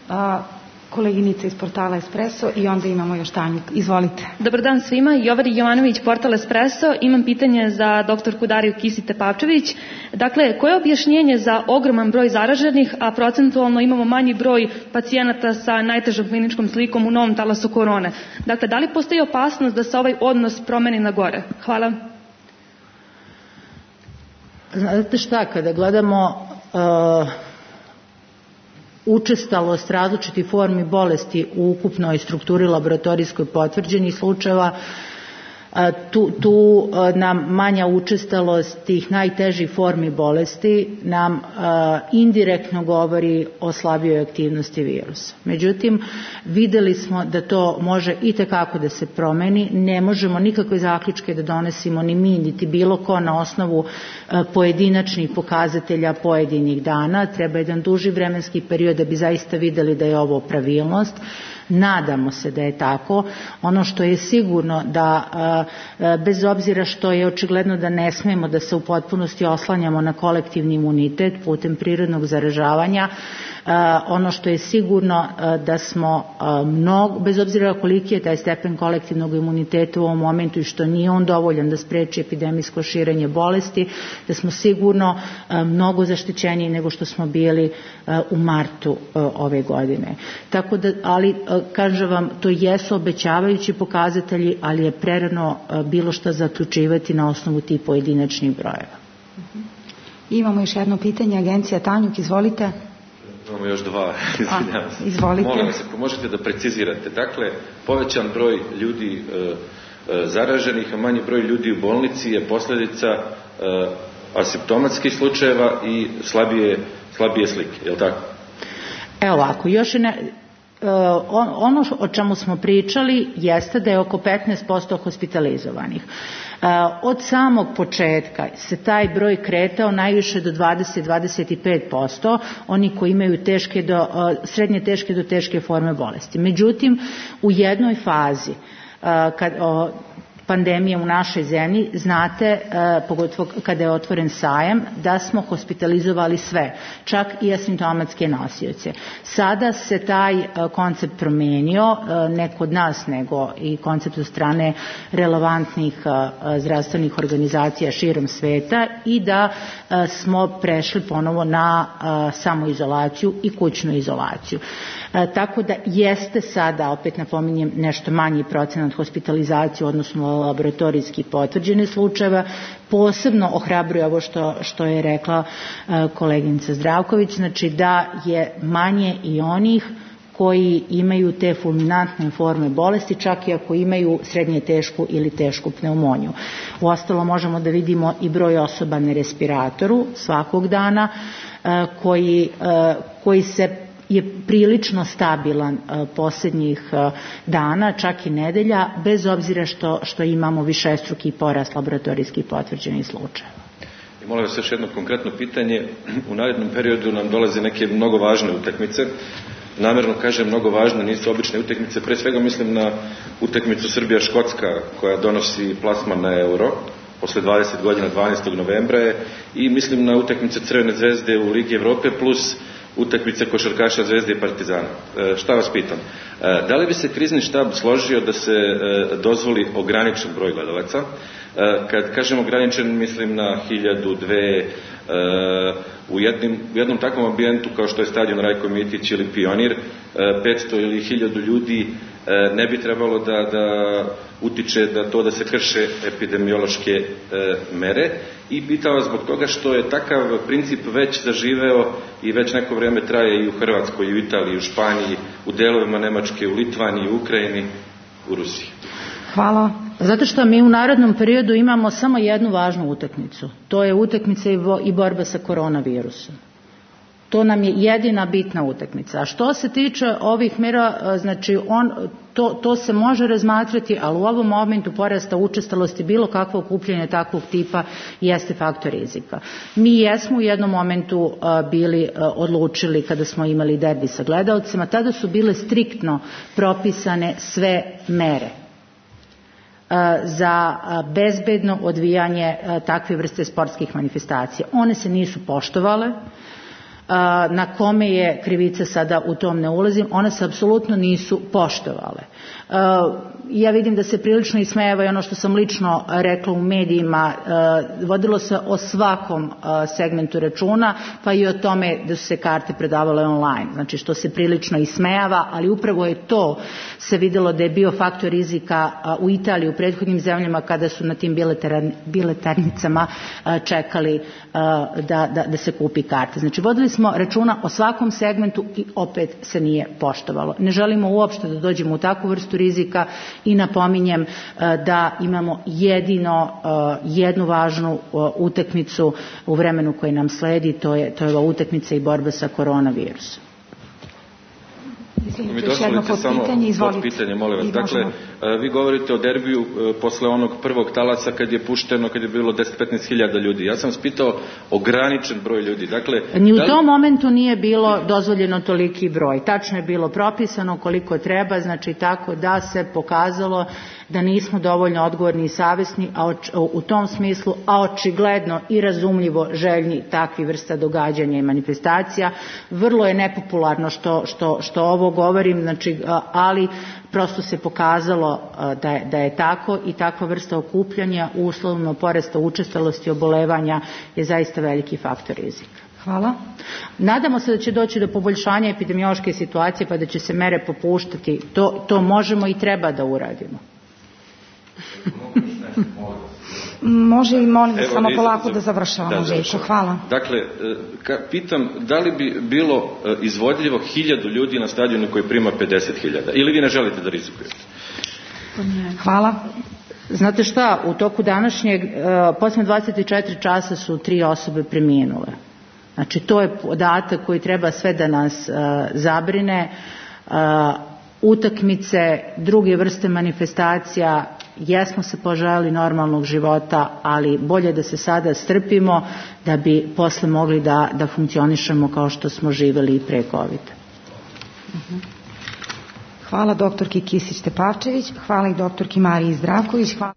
A, koleginica iz portala Espresso i onda imamo još Tanju. Izvolite. Dobar dan svima. Jovari Jovanović, portal Espresso. Imam pitanje za doktorku Dariju Kisić-Tepavčević. Dakle, koje je objašnjenje za ogroman broj zaraženih, a procentualno imamo manji broj pacijenata sa najtežom kliničkom slikom u novom talasu korone? Dakle, da li postoji opasnost da se ovaj odnos promeni na gore? Hvala. Znate šta, kada gledamo Uh, učestalost različitih formi bolesti u ukupnoj strukturi laboratorijskoj potvrđenih slučajeva, tu, tu nam manja učestalost tih najtežih formi bolesti nam uh, indirektno govori o slabijoj aktivnosti virusa. Međutim, videli smo da to može i tekako da se promeni. Ne možemo nikakve zaključke da donesimo ni mi, niti bilo ko na osnovu uh, pojedinačnih pokazatelja pojedinih dana. Treba jedan duži vremenski period da bi zaista videli da je ovo pravilnost. Nadamo se da je tako. Ono što je sigurno da bez obzira što je očigledno da ne smemo da se u potpunosti oslanjamo na kolektivni imunitet putem prirodnog zaražavanja, ono što je sigurno da smo mnogo, bez obzira koliki je taj stepen kolektivnog imuniteta u ovom momentu i što nije on dovoljan da spreči epidemijsko širenje bolesti, da smo sigurno mnogo zaštićeniji nego što smo bili u martu ove godine. Tako da, ali kažem vam, to jesu obećavajući pokazatelji, ali je prerano bilo šta zaključivati na osnovu tih pojedinačnih brojeva. Imamo još jedno pitanje, agencija Tanjuk, izvolite. Imamo još dva, izvinjavam se. Izvolite. Molim vas, ako možete da precizirate. Dakle, povećan broj ljudi e, e, zaraženih, a manji broj ljudi u bolnici je posljedica e, asimptomatskih slučajeva i slabije, slabije slike, je li tako? Evo ovako, još je ne... ono o čemu smo pričali jeste da je oko petnaest posto hospitalizovanih. Od samog početka se taj broj kretao najviše do dvadeset do dvadeset pet posto, oni koji imaju teške do, srednje teške do teške forme bolesti. Međutim, u jednoj fazi kad pandemije u našoj zemlji, znate, pogotovo kada je otvoren sajam, da smo hospitalizovali sve, čak i asimptomatske nosioce. Sada se taj koncept promenio, ne kod nas, nego i koncept od strane relevantnih zdravstvenih organizacija širom sveta i da smo prešli ponovo na samoizolaciju i kućnu izolaciju. Tako da jeste sada, opet napominjem, nešto manji procenat hospitalizacije, odnosno laboratorijski potvrđene slučajeva. Posebno ohrabruje ovo što, što je rekla koleginica Zdravković, znači da je manje i onih koji imaju te fulminantne forme bolesti, čak i ako imaju srednje tešku ili tešku pneumoniju. Uostalo možemo da vidimo i broj osoba na respiratoru svakog dana koji, koji se je prilično stabilan posljednjih dana, čak i nedelja, bez obzira što, što imamo višestruki porast laboratorijskih potvrđenih slučajeva. I molim vas još jedno konkretno pitanje. U narednom periodu nam dolaze neke mnogo važne utakmice. Namjerno kažem mnogo važne, nisu obične utakmice. Pre svega mislim na utakmicu Srbija-Škotska koja donosi plasman na euro. Posle dvadeset godina, dvanaestog novembra je. I mislim na utakmice Crvene zvezde u Ligi Evrope plus utakmice košarkaša Zvezde i Partizana. E, šta vas pitam? E, da li bi se krizni štab složio da se e, dozvoli ograničen broj gledalaca? E, kad kažem ograničen, mislim na hiljadu, dve, e, u, jednim, u jednom takvom ambijentu kao što je stadion Rajko Mitić ili Pionir, e, petsto ili hiljadu ljudi e, ne bi trebalo da, da utiče da to da se krše epidemiološke e, mere. I pitao vas zbog toga što je takav princip već zaživeo i već neko vrijeme traje i u Hrvatskoj, i u Italiji, i u Španiji, u delovima Nemačke, u Litvaniji, u Ukrajini, u Rusiji. Hvala. Zato što mi u narednom periodu imamo samo jednu važnu utakmicu. To je utakmica i borba sa koronavirusom. To nam je jedina bitna utakmica. A što se tiče ovih mjera, znači on, to, to se može razmatrati, ali u ovom momentu porasta učestalosti bilo kakvo okupljanje takvog tipa jeste faktor rizika. Mi jesmo u jednom momentu bili odlučili kada smo imali derbi sa gledaocima, tada su bile striktno propisane sve mere za bezbedno odvijanje takve vrste sportskih manifestacija. One se nisu poštovale. Na kome je krivica sada u tom ne ulazim, one se apsolutno nisu poštovale. Ja vidim da se prilično ismejava i ono što sam lično rekla u medijima, vodilo se o svakom segmentu računa, pa i o tome da su se karte predavale online, znači što se prilično ismejava, ali upravo je to se vidjelo da je bio faktor rizika u Italiji, u prethodnim zemljama kada su na tim biletarnicama čekali da, da, da se kupi karte. Znači vodili smo računa o svakom segmentu i opet se nije poštovalo. Ne želimo uopšte da dođemo u takvu vrstu rizika i napominjem da imamo jedino jednu važnu utakmicu u vremenu koje nam sledi, to je, to je ova utakmica i borba sa koronavirusom. Mi dozvolite samo pod pitanje, molim vas. Dakle, vi govorite o derbiju posle onog prvog talasa kad je pušteno, kad je bilo deset do petnaest hiljada ljudi. Ja sam vas pitao ograničen broj ljudi. Dakle, ni u da li... tom momentu nije bilo dozvoljeno toliki broj. Tačno je bilo propisano koliko treba, znači tako da se pokazalo da nismo dovoljno odgovorni i savjesni, a u tom smislu, a očigledno i razumljivo željni takvi vrsta događanja i manifestacija. Vrlo je nepopularno što, što, što ovo govorim, znači, ali prosto se pokazalo da je, da je tako i takva vrsta okupljanja uslovno porasta učestalosti obolevanja je zaista veliki faktor rizika. Hvala. Nadamo se da će doći do poboljšanja epidemiološke situacije pa da će se mere popuštati. To, to možemo i treba da uradimo. Može li molim Evo, samo iz, polako za, da završavamo, da, Željko? Hvala. Dakle, ka, pitam da li bi bilo izvodljivo hiljadu ljudi na stadionu koji prima pedeset hiljada ili vi ne želite da rizikujete? Hvala. Znate šta, u toku današnjeg, posljednje dvadeset četiri časa su tri osobe preminule. Znači, to je podatak koji treba sve da nas uh, zabrine. Uh, utakmice, druge vrste manifestacija, jesmo se poželjeli normalnog života, ali bolje da se sada strpimo da bi posle mogli da, da funkcionišemo kao što smo živjeli i pre kovida. Uh-huh. Hvala doktorki Kisić-Tepavčević, hvala i doktorki Mariji Zdravković. Hvala.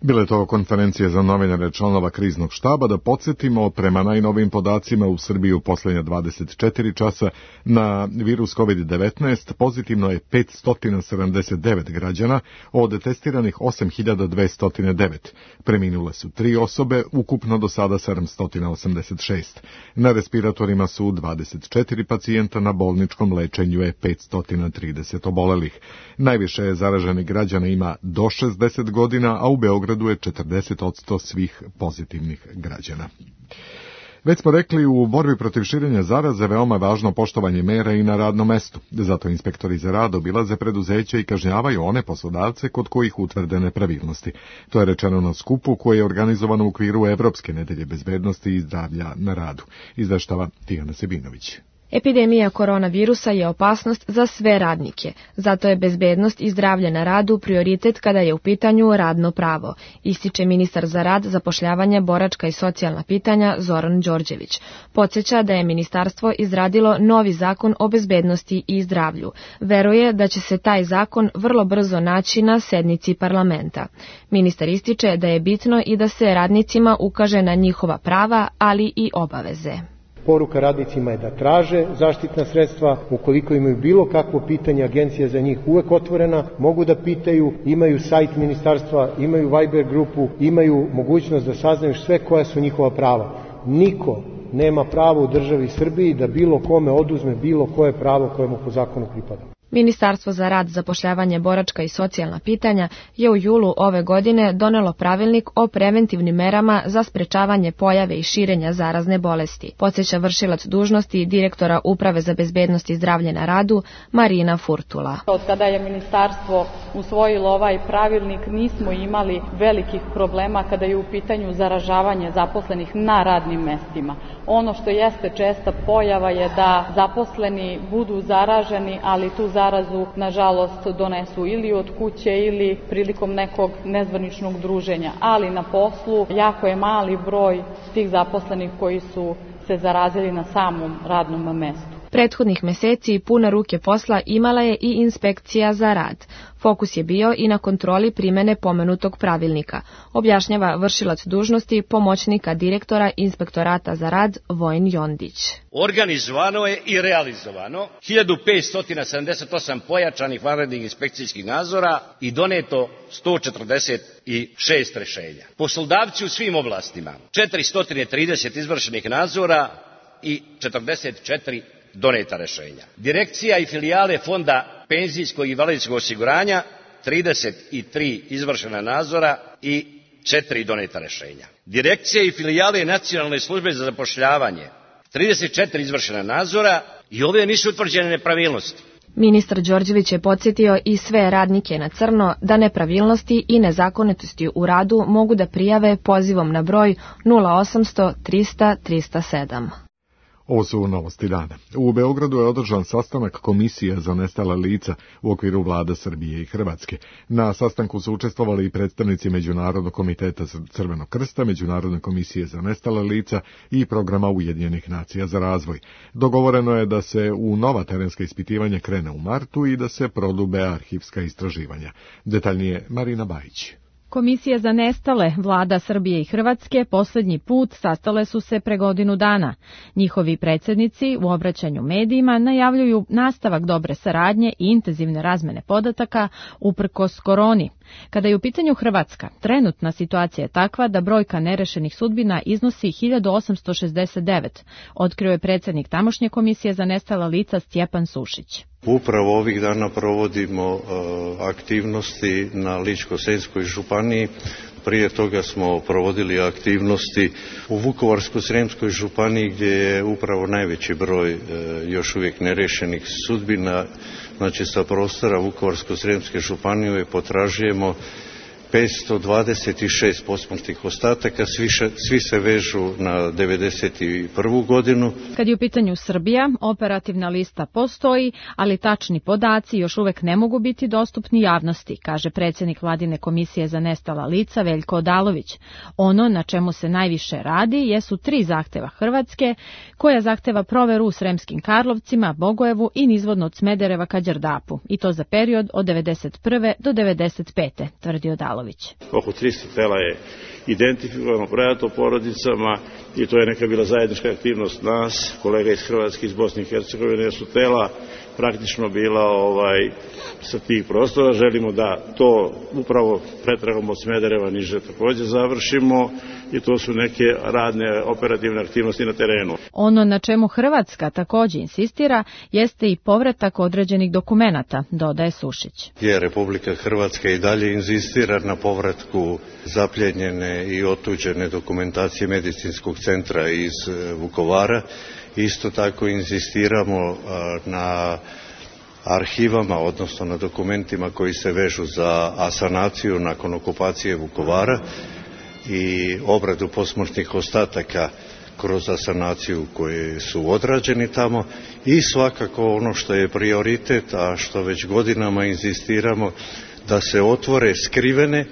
Bila je to konferencija za novinare članova kriznog štaba. Da podsjetimo, prema najnovim podacima u Srbiji u posljednja dvadeset četiri časa na virus kovid devetnaest pozitivno je petsto sedamdeset devet građana, od testiranih osam hiljada dvesta devet. Preminule su tri osobe, ukupno do sada sedamsto osamdeset šest. Na respiratorima su dvadeset četiri pacijenta, na bolničkom lečenju je petsto trideset obolelih. Najviše je zaraženih građana ima do šezdeset godina, a u Beogradu je četrdeset posto svih pozitivnih građana. Već smo rekli, u borbi protiv širenja zaraze veoma važno poštovanje mera i na radnom mestu. Zato inspektori za rad obilaze preduzeća i kažnjavaju one poslodavce kod kojih utvrde nepravilnosti. To je rečeno na skupu koje je organizovano u okviru Evropske nedelje bezbednosti i zdravlja na radu. Izveštava Tijana Sebinović. Epidemija koronavirusa je opasnost za sve radnike, zato je bezbednost i zdravlje na radu prioritet kada je u pitanju radno pravo, ističe ministar za rad, zapošljavanje, boračka i socijalna pitanja Zoran Đorđević. Podsjeća da je ministarstvo izradilo novi zakon o bezbednosti i zdravlju. Veruje da će se taj zakon vrlo brzo naći na sednici parlamenta. Ministar ističe da je bitno i da se radnicima ukaže na njihova prava, ali i obaveze. Poruka radnicima je da traže zaštitna sredstva, ukoliko imaju bilo kakvo pitanje, agencija za njih uvek otvorena, mogu da pitaju, imaju sajt ministarstva, imaju Viber grupu, imaju mogućnost da saznaju sve koja su njihova prava. Niko nema pravo u državi Srbiji da bilo kome oduzme bilo koje pravo koje mu po zakonu pripada. Ministarstvo za rad, zapošljavanje, boračka i socijalna pitanja je u julu ove godine donelo pravilnik o preventivnim merama za sprečavanje pojave i širenja zarazne bolesti. Podsjeća vršilac dužnosti direktora Uprave za bezbednost i zdravlje na radu Marina Furtula. Od kada je ministarstvo usvojilo ovaj pravilnik nismo imali velikih problema kada je u pitanju zaražavanje zaposlenih na radnim mestima. Ono što jeste česta pojava je da zaposleni budu zaraženi, ali tu zarazu nažalost donesu ili od kuće ili prilikom nekog nezvaničnog druženja, ali na poslu jako je mali broj tih zaposlenih koji su se zarazili na samom radnom mestu. Prethodnih meseci pune ruke posla imala je i inspekcija za rad. Fokus je bio i na kontroli primene pomenutog pravilnika, objašnjava vršilac dužnosti pomoćnika direktora Inspektorata za rad Vojin Jondić. Organizovano je i realizovano hiljadu petsto sedamdeset osam pojačanih vanrednih inspekcijskih nadzora i doneto sto četrdeset šest rešenja. Poslodavci u svim oblastima, četiristo trideset izvršenih nadzora i četrdeset četiri doneta rešenja. Direkcija i filijale Fonda penzijskog i invalidskog osiguranja, trideset tri izvršena nadzora i četiri doneta rešenja. Direkcija i filijale Nacionalne službe za zapošljavanje, trideset četiri izvršena nadzora i ove nisu utvrđene nepravilnosti. Ministar Đorđević je podsjetio i sve radnike na crno da nepravilnosti i nezakonitosti u radu mogu da prijave pozivom na broj nula osamsto trista trista sedam. Ovo su novosti dana. U Beogradu je održan sastanak Komisije za nestala lica u okviru vlada Srbije i Hrvatske. Na sastanku su učestvovali i predstavnici Međunarodnog komiteta Crvenog krsta, Međunarodne komisije za nestala lica i programa Ujedinjenih nacija za razvoj. Dogovoreno je da se u nova terenska ispitivanja krene u martu i da se prodube arhivska istraživanja. Detaljnije Marina Bajić. Komisije za nestale vlada Srbije i Hrvatske posljednji put sastale su se pre godinu dana. Njihovi predsjednici u obraćanju medijima najavljuju nastavak dobre saradnje i intenzivne razmene podataka uprkos koroni. Kada je u pitanju Hrvatska, trenutna situacija je takva da brojka nerešenih sudbina iznosi hiljadu osamsto šezdeset devet, otkrio je predsjednik tamošnje komisije za nestala lica Stjepan Sušić. Upravo ovih dana provodimo uh, aktivnosti na Ličko-senjskoj županiji. Prije toga smo provodili aktivnosti u Vukovarsko-srijemskoj županiji gdje je upravo najveći broj uh, još uvijek nerešenih sudbina. Znači sa prostora Vukovarsko-srijemske županije potražujemo petsto dvadeset šest posmrtnih ostataka, svi, še, svi se vežu na devedeset prvu godinu. Kad je u pitanju Srbija, operativna lista postoji, ali tačni podaci još uvek ne mogu biti dostupni javnosti, kaže predsjednik Vladine komisije za nestala lica Veljko Odalović. Ono na čemu se najviše radi jesu tri zahteva Hrvatske, koja zahteva proveru u Sremskim Karlovcima, Bogojevu i nizvodno od Smedereva ka Đerdapu, i to za period od devedeset prve do devedeset pete, tvrdi Odalović. Oko tristo tela je identifikovano, predato porodicama i to je neka bila zajednička aktivnost nas, kolega iz Hrvatske, iz Bosne i Hercegovine, jer su tela praktično bila ovaj, sa tih prostora. Želimo da to upravo pretragom od Smedereva niže također završimo i to su neke radne operativne aktivnosti na terenu. Ono na čemu Hrvatska također insistira jeste i povratak određenih dokumenata, dodaje Sušić. Je Republika Hrvatska i dalje inzistira na povratku zapljenjene i otuđene dokumentacije medicinskog centra iz Vukovara. Isto tako inzistiramo na arhivama, odnosno na dokumentima koji se vežu za asanaciju nakon okupacije Vukovara i obradu posmrtnih ostataka kroz asanaciju koje su odrađeni tamo i svakako ono što je prioritet, a što već godinama inzistiramo, da se otvore skrivene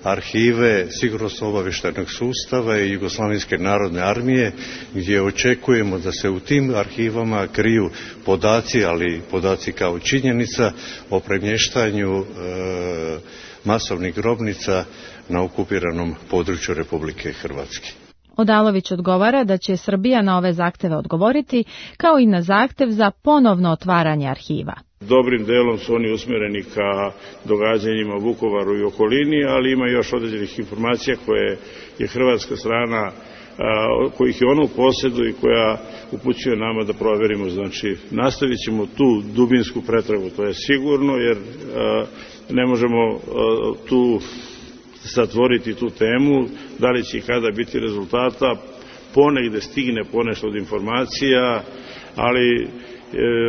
arhive sigurnosno-obavještajnog sustava i Jugoslavenske narodne armije, gdje očekujemo da se u tim arhivama kriju podaci, ali podaci kao činjenica o premještanju e, masovnih grobnica na okupiranom području Republike Hrvatske. Odalović odgovara da će Srbija na ove zahteve odgovoriti, kao i na zahtev za ponovno otvaranje arhiva. Dobrim delom su oni usmjereni ka događanjima u Vukovaru i okolini, ali ima još određenih informacija koje je hrvatska strana, kojih je ona u posjedu i koja upućuje nama da provjerimo. Znači, nastavit ćemo tu dubinsku pretragu, to je sigurno, jer ne možemo tu zatvoriti tu temu, da li će i kada biti rezultata, ponegde stigne ponešto od informacija, ali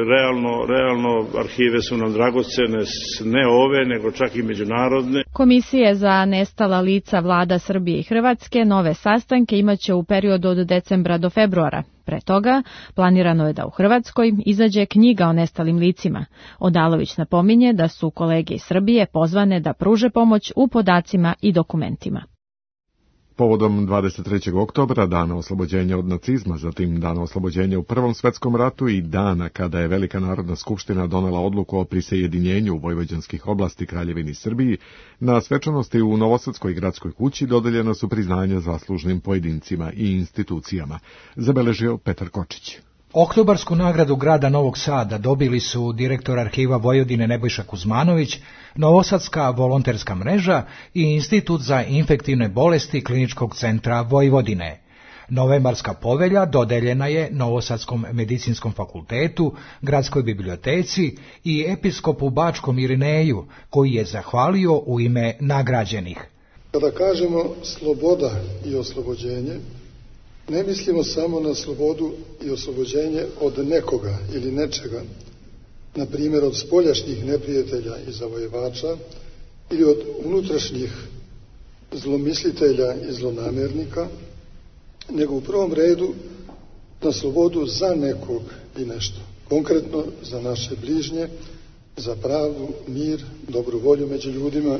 realno, realno arhive su nam dragocene, ne ove, nego čak i međunarodne. Komisije za nestala lica vlada Srbije i Hrvatske nove sastanke imaće u periodu od decembra do februara. Pre toga planirano je da u Hrvatskoj izađe knjiga o nestalim licima. Odalović napominje da su kolege iz Srbije pozvane da pruže pomoć u podacima i dokumentima. Povodom dvadeset trećeg oktobra, dana oslobođenja od nacizma, zatim dana oslobođenja u Prvom svetskom ratu i dana kada je Velika narodna skupština donela odluku o prisajedinjenju vojvođanskih oblasti Kraljevini Srbiji, na svečanosti u Novosadskoj gradskoj kući dodeljena su priznanja zaslužnim pojedincima i institucijama, zabeležio Petar Kočić. Oktobarsku nagradu grada Novog Sada dobili su direktor arhiva Vojvodine Nebojša Kuzmanović, Novosadska volonterska mreža i Institut za infektivne bolesti Kliničkog centra Vojvodine. Novembarska povelja dodeljena je Novosadskom medicinskom fakultetu, Gradskoj biblioteci i episkopu Bačkom Irineju, koji je zahvalio u ime nagrađenih. Kada kažemo sloboda i oslobođenje, ne mislimo samo na slobodu i oslobođenje od nekoga ili nečega, na primjer od spoljašnjih neprijatelja i zavojevača ili od unutrašnjih zlomislitelja i zlonamjernika, nego u prvom redu na slobodu za nekog i nešto. Konkretno za naše bližnje, za pravdu, mir, dobru volju među ljudima,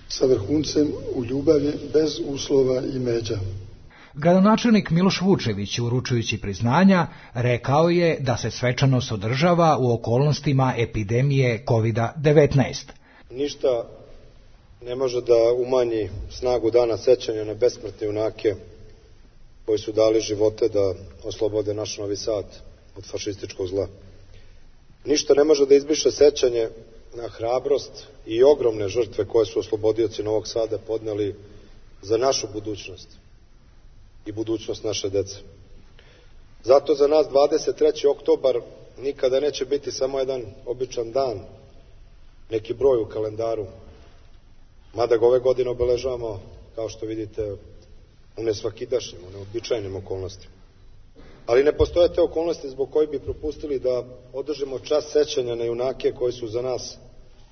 sa vrhuncem u ljubavi bez uslova i međa. Gradonačelnik Miloš Vučević, uručujući priznanja, rekao je da se svečanost održava u okolnostima epidemije kovid devetnaest. Ništa ne može da umanji snagu dana sećanja na besmrtne junake koji su dali živote da oslobode naš Novi Sad od fašističkog zla. Ništa ne može da izbriše sećanje na hrabrost i ogromne žrtve koje su oslobodioci Novog Sada podneli za našu budućnost i budućnost naše dece. Zato za nas dvadeset treći oktobar nikada neće biti samo jedan običan dan, neki broj u kalendaru, mada ga ove godine obeležavamo, kao što vidite, u nesvakidašnjim, u neobičajnim okolnostima. Ali ne postoje te okolnosti zbog koje bi propustili da održimo čast sećanja na junake koji su za nas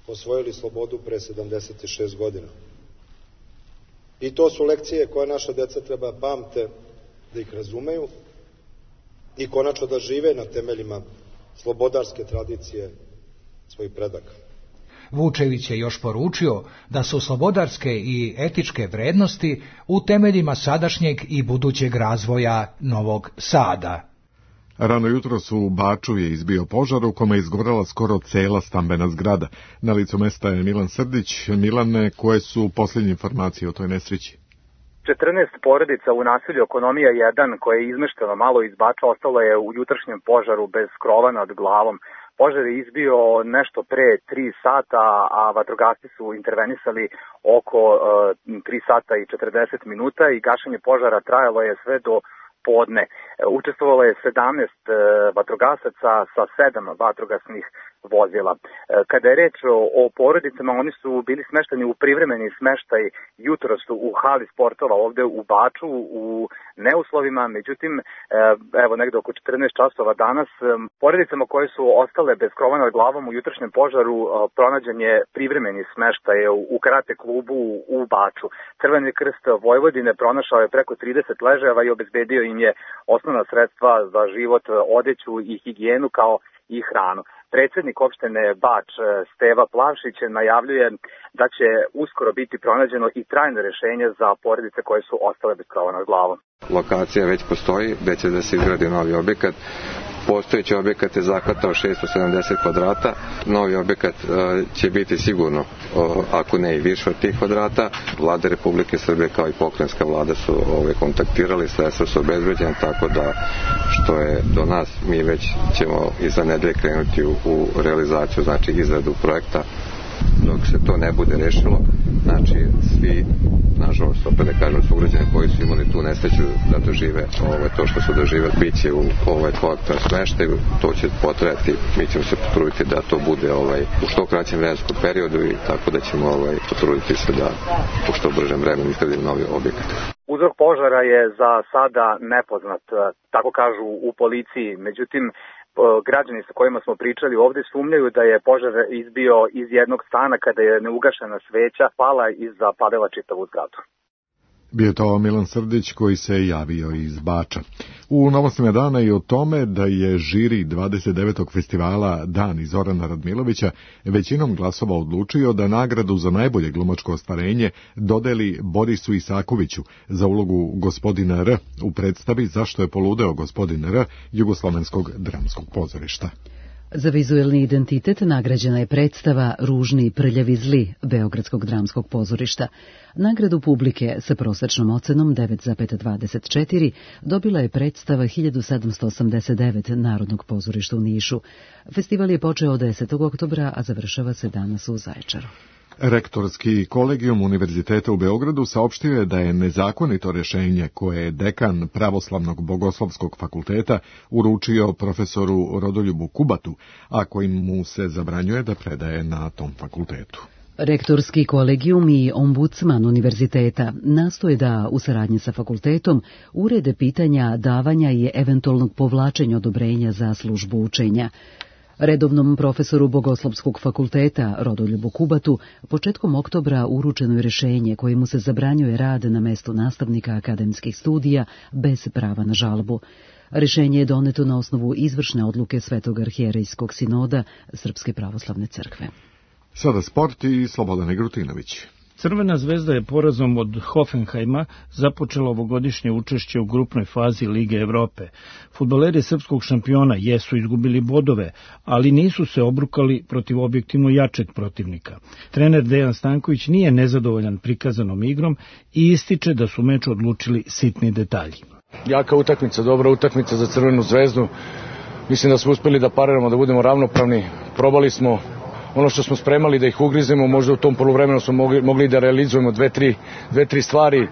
osvojili slobodu pre sedamdeset šest godina. I to su lekcije koje naša deca treba pamte, da ih razumeju i konačno da žive na temeljima slobodarske tradicije svojih predaka. Vučević je još poručio da su slobodarske i etičke vrednosti u temeljima sadašnjeg i budućeg razvoja Novog Sada. Rano jutro su u Baču je izbio požar u kome je izgorela skoro cela stambena zgrada. Na licu mesta je Milan Srdić. Milane, koje su posljednje informacije o toj nesreći? četrnaest porodica u naselju Ekonomija jedan, koje je izmešteno malo iz Bača, ostalo je u jutrašnjem požaru bez krova nad glavom. Požar je izbio nešto pre tri sata, a vatrogasci su intervenisali oko uh, tri sata i četrdeset minuta i gašenje požara trajalo je sve do podne. Učestvovalo je sedamnaest uh, vatrogasaca sa sedam vatrogasnih vozila. Kada je reč o, o porodicama, oni su bili smešteni u privremeni smeštaj jutros u hali sportova ovde u Baču u neuslovima, međutim, evo negde oko četrnaest časova danas, porodicama koje su ostale bez krova nad glavom u jutrašnjem požaru pronađen je privremeni smeštaj u karate klubu u Baču. Crveni krst Vojvodine pronašao je preko trideset ležajeva i obezbedio im je osnovna sredstva za život, odeću i higijenu kao i hranu. Predsjednik opštine Bač Steva Plavšić najavljuje da će uskoro biti pronađeno i trajno rešenje za porodice koje su ostale bez krova nad glavom. Lokacija već postoji, gde će da se izgradi novi objekat. Postojeći objekat je zahvatao šesto sedamdeset kvadrata. Novi objekat će biti sigurno, ako ne i više od tih kvadrata. Vlada Republike Srbije kao i pokrajinska vlada su ove, kontaktirali, sredstva su obezbeđena, tako da što je do nas, mi već ćemo iza nedelje krenuti u, u realizaciju, znači izradu projekta. Dok se to ne bude rešilo, znači svi, nažalost, opet da kažem, sugrađani koji su imali tu nesreću da dožive ovaj, to što su doživeli, bit će u ovaj kolektivnom smeštaju, to će potrajati, mi ćemo se potruditi da to bude ovaj, u što kraćem vremenskom periodu i tako da ćemo ovaj, potruditi se da u što bržem vremenu izgradimo novi objekat. Uzrok požara je za sada nepoznat, tako kažu u policiji, međutim, građani sa kojima smo pričali ovde sumnjaju da je požar izbio iz jednog stana kada je neugašena sveća pala i zapalila čitavu zgradu. Bio to Milan Srdić koji se javio iz Bača. U novostima dana i o tome da je žiri dvadeset devetog festivala Dani Zorana Radmilovića većinom glasova odlučio da nagradu za najbolje glumačko ostvarenje dodeli Borisu Isakoviću za ulogu gospodina R u predstavi Zašto je poludeo gospodin R Jugoslovenskog dramskog pozorišta. Za vizuelni identitet nagrađena je predstava Ružni, prljavi, zli Beogradskog dramskog pozorišta. Nagradu publike sa prosečnom ocenom devet zarez dvadeset četiri dobila je predstava hiljadu sedamsto osamdeset devet Narodnog pozorišta u Nišu. Festival je počeo desetog oktobra, a završava se danas u Zaječaru. Rektorski kolegijum Univerziteta u Beogradu saopštio je da je nezakonito rešenje koje je dekan Pravoslavnog bogoslovskog fakulteta uručio profesoru Rodoljubu Kubatu, a kojim mu se zabranjuje da predaje na tom fakultetu. Rektorski kolegijum i ombudsman univerziteta nastoje da, u saradnji sa fakultetom, urede pitanja davanja i eventualnog povlačenja odobrenja za službu učenja. Redovnom profesoru Bogoslovskog fakulteta Rodoljubu Kubatu početkom oktobra uručeno je rešenje kojemu se zabranjuje rad na mestu nastavnika akademskih studija bez prava na žalbu. Rešenje je doneto na osnovu izvršne odluke Svetog arhijerejskog sinoda Srpske pravoslavne crkve. Sada sport i Slobodan Igrutinović. Crvena zvezda je porazom od Hoffenheima započela ovogodišnje učešće u grupnoj fazi Lige Evrope. Fudbaleri srpskog šampiona jesu izgubili bodove, ali nisu se obrukali protiv objektivno jačeg protivnika. Trener Dejan Stanković nije nezadovoljan prikazanom igrom i ističe da su meč odlučili sitni detalji. Jaka utakmica, dobra utakmica za Crvenu zvezdu. Mislim da smo uspeli da pariramo, da budemo ravnopravni. Probali smo ono što smo spremali da ih ugrizemo, možda u tom poluvremenu smo mogli, mogli da realizujemo dve, tri, dve, tri stvari.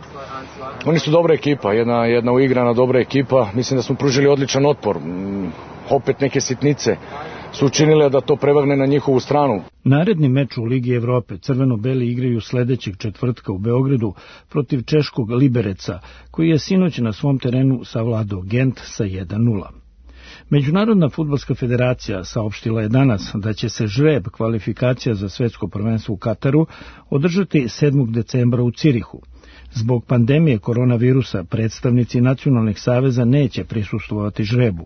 Oni su dobra ekipa, jedna, jedna uigrana dobra ekipa. Mislim da smo pružili odličan otpor. Opet neke sitnice su učinile da to prevagne na njihovu stranu. Naredni meč u Ligi Evrope crveno-beli igraju sledećeg četvrtka u Beogradu protiv češkog Libereca, koji je sinoć na svom terenu savladao Gent sa jedan nula. Međunarodna fudbalska federacija saopštila je danas da će se žreb kvalifikacija za svetsko prvenstvo u Kataru održati sedmog decembra u Cirihu. Zbog pandemije koronavirusa predstavnici nacionalnih saveza neće prisustvovati žrebu.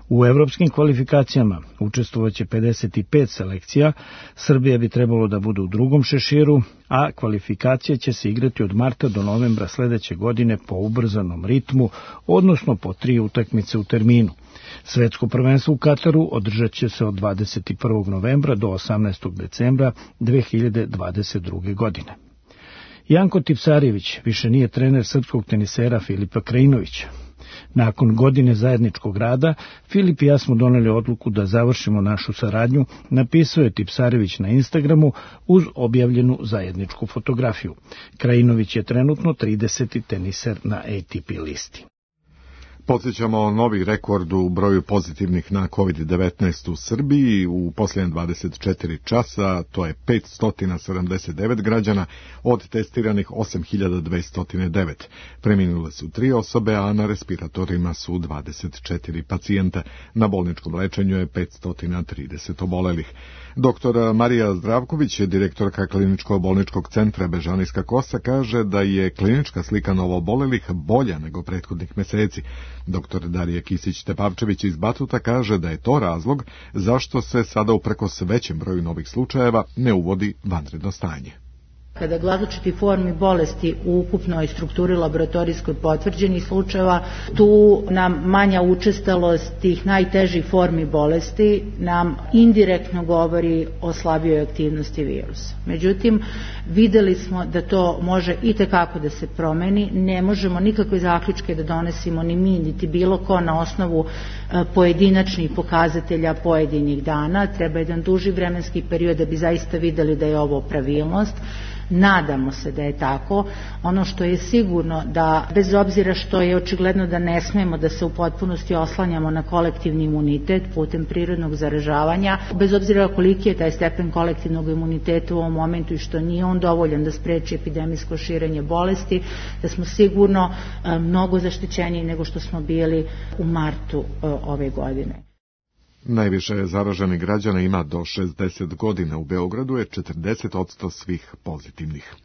U evropskim kvalifikacijama učestvovaće pedeset pet selekcija, Srbija bi trebalo da bude u drugom šeširu, a kvalifikacije će se igrati od marta do novembra sledeće godine po ubrzanom ritmu, odnosno po tri utakmice u terminu. Svetsko prvenstvo u Kataru održat će se od dvadeset prvog novembra do osamnaestog decembra dve hiljade dvadeset druge. godine. Janko Tipsarević više nije trener srpskog tenisera Filipa Krajinovića. Nakon godine zajedničkog rada, Filip i ja smo doneli odluku da završimo našu saradnju, napisao je Tipsarević na Instagramu uz objavljenu zajedničku fotografiju. Krajinović je trenutno trideseti teniser na A T P listi. Podsjećamo novi rekord u broju pozitivnih na kovid devetnaest u Srbiji u posljednje dvadeset četiri časa, to je petsto sedamdeset devet građana od testiranih osam hiljada dvesta devet. Preminule su tri osobe, a na respiratorima su dvadeset četiri pacijenta. Na bolničkom lečenju je petsto trideset obolelih. Doktor Marija Zdravković, direktorka kliničko-bolničkog centra Bežanijska Kosa, kaže da je klinička slika novoobolelih bolja nego prethodnih meseci. Doktor Darija Kisić-Tepavčević iz Batuta kaže da je to razlog zašto se sada uprkos većem broju novih slučajeva ne uvodi vanredno stanje. Kada različiti formi bolesti u ukupnoj strukturi laboratorijskoj potvrđenih slučajeva, tu nam manja učestalost tih najtežih formi bolesti nam indirektno govori o slabijoj aktivnosti virusa. Međutim, videli smo da to može i tekako da se promeni, ne možemo nikakve zaključke da donesimo ni mi, niti bilo ko na osnovu pojedinačnih pokazatelja pojedinih dana, treba jedan duži vremenski period da bi zaista videli da je ovo pravilnost. Nadamo se da je tako. Ono što je sigurno da, bez obzira što je očigledno da ne smemo da se u potpunosti oslanjamo na kolektivni imunitet putem prirodnog zaražavanja, bez obzira koliki je taj stepen kolektivnog imuniteta u ovom momentu i što nije on dovoljan da spreči epidemijsko širenje bolesti, da smo sigurno mnogo zaštićeniji nego što smo bili u martu ove godine. Najviše zaraženih građana ima do šezdeset godina. U Beogradu je četrdeset posto svih pozitivnih.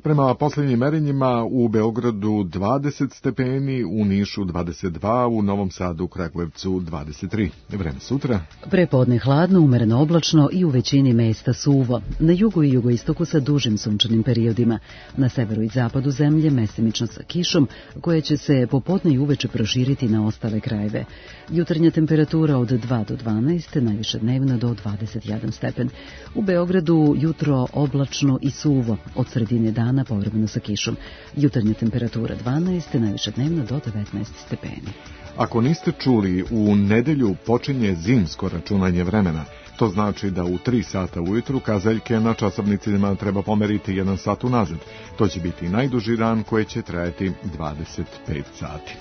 Prema posljednjim merenjima u Beogradu dvadeset stepeni, u Nišu dvadeset dva, u Novom Sadu, Kragujevcu dvadeset tri. Vreme sutra. Prepodne hladno, umereno oblačno i u većini mesta suvo. Na jugu i jugoistoku sa dužim sunčanim periodima. Na severu i zapadu zemlje mestimično sa kišom, koja će se popodne i uveče proširiti na ostale krajeve. Jutarnja temperatura od dva do dvanaest, najviše dnevno do dvadeset jedan stepen. U Beogradu jutro oblačno i suvo, od sredine dana dana povremeno sa kišom. Jutarnja temperatura dvanaest, najviše dnevno do devetnaest stepeni. Ako niste čuli, u nedelju počinje zimsko računanje vremena. To znači da u tri sata ujutru kazaljke na časovnicima treba pomeriti jedan sat unazad. To će biti najduži dan koji će trajati dvadeset pet sati.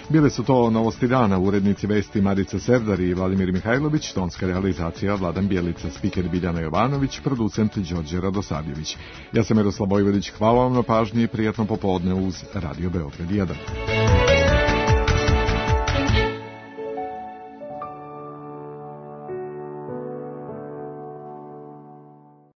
Bile su to novosti dana, urednici vesti Marica Serdar i Vladimir Mihajlović, tonska realizacija Vladan Bjelica, spiker Biljana Jovanović, producent Đorđe Radosavljević. Ja sam Miroslav Bojvodić, hvala vam na pažnji i prijatno popodne uz Radio Beograd jedan.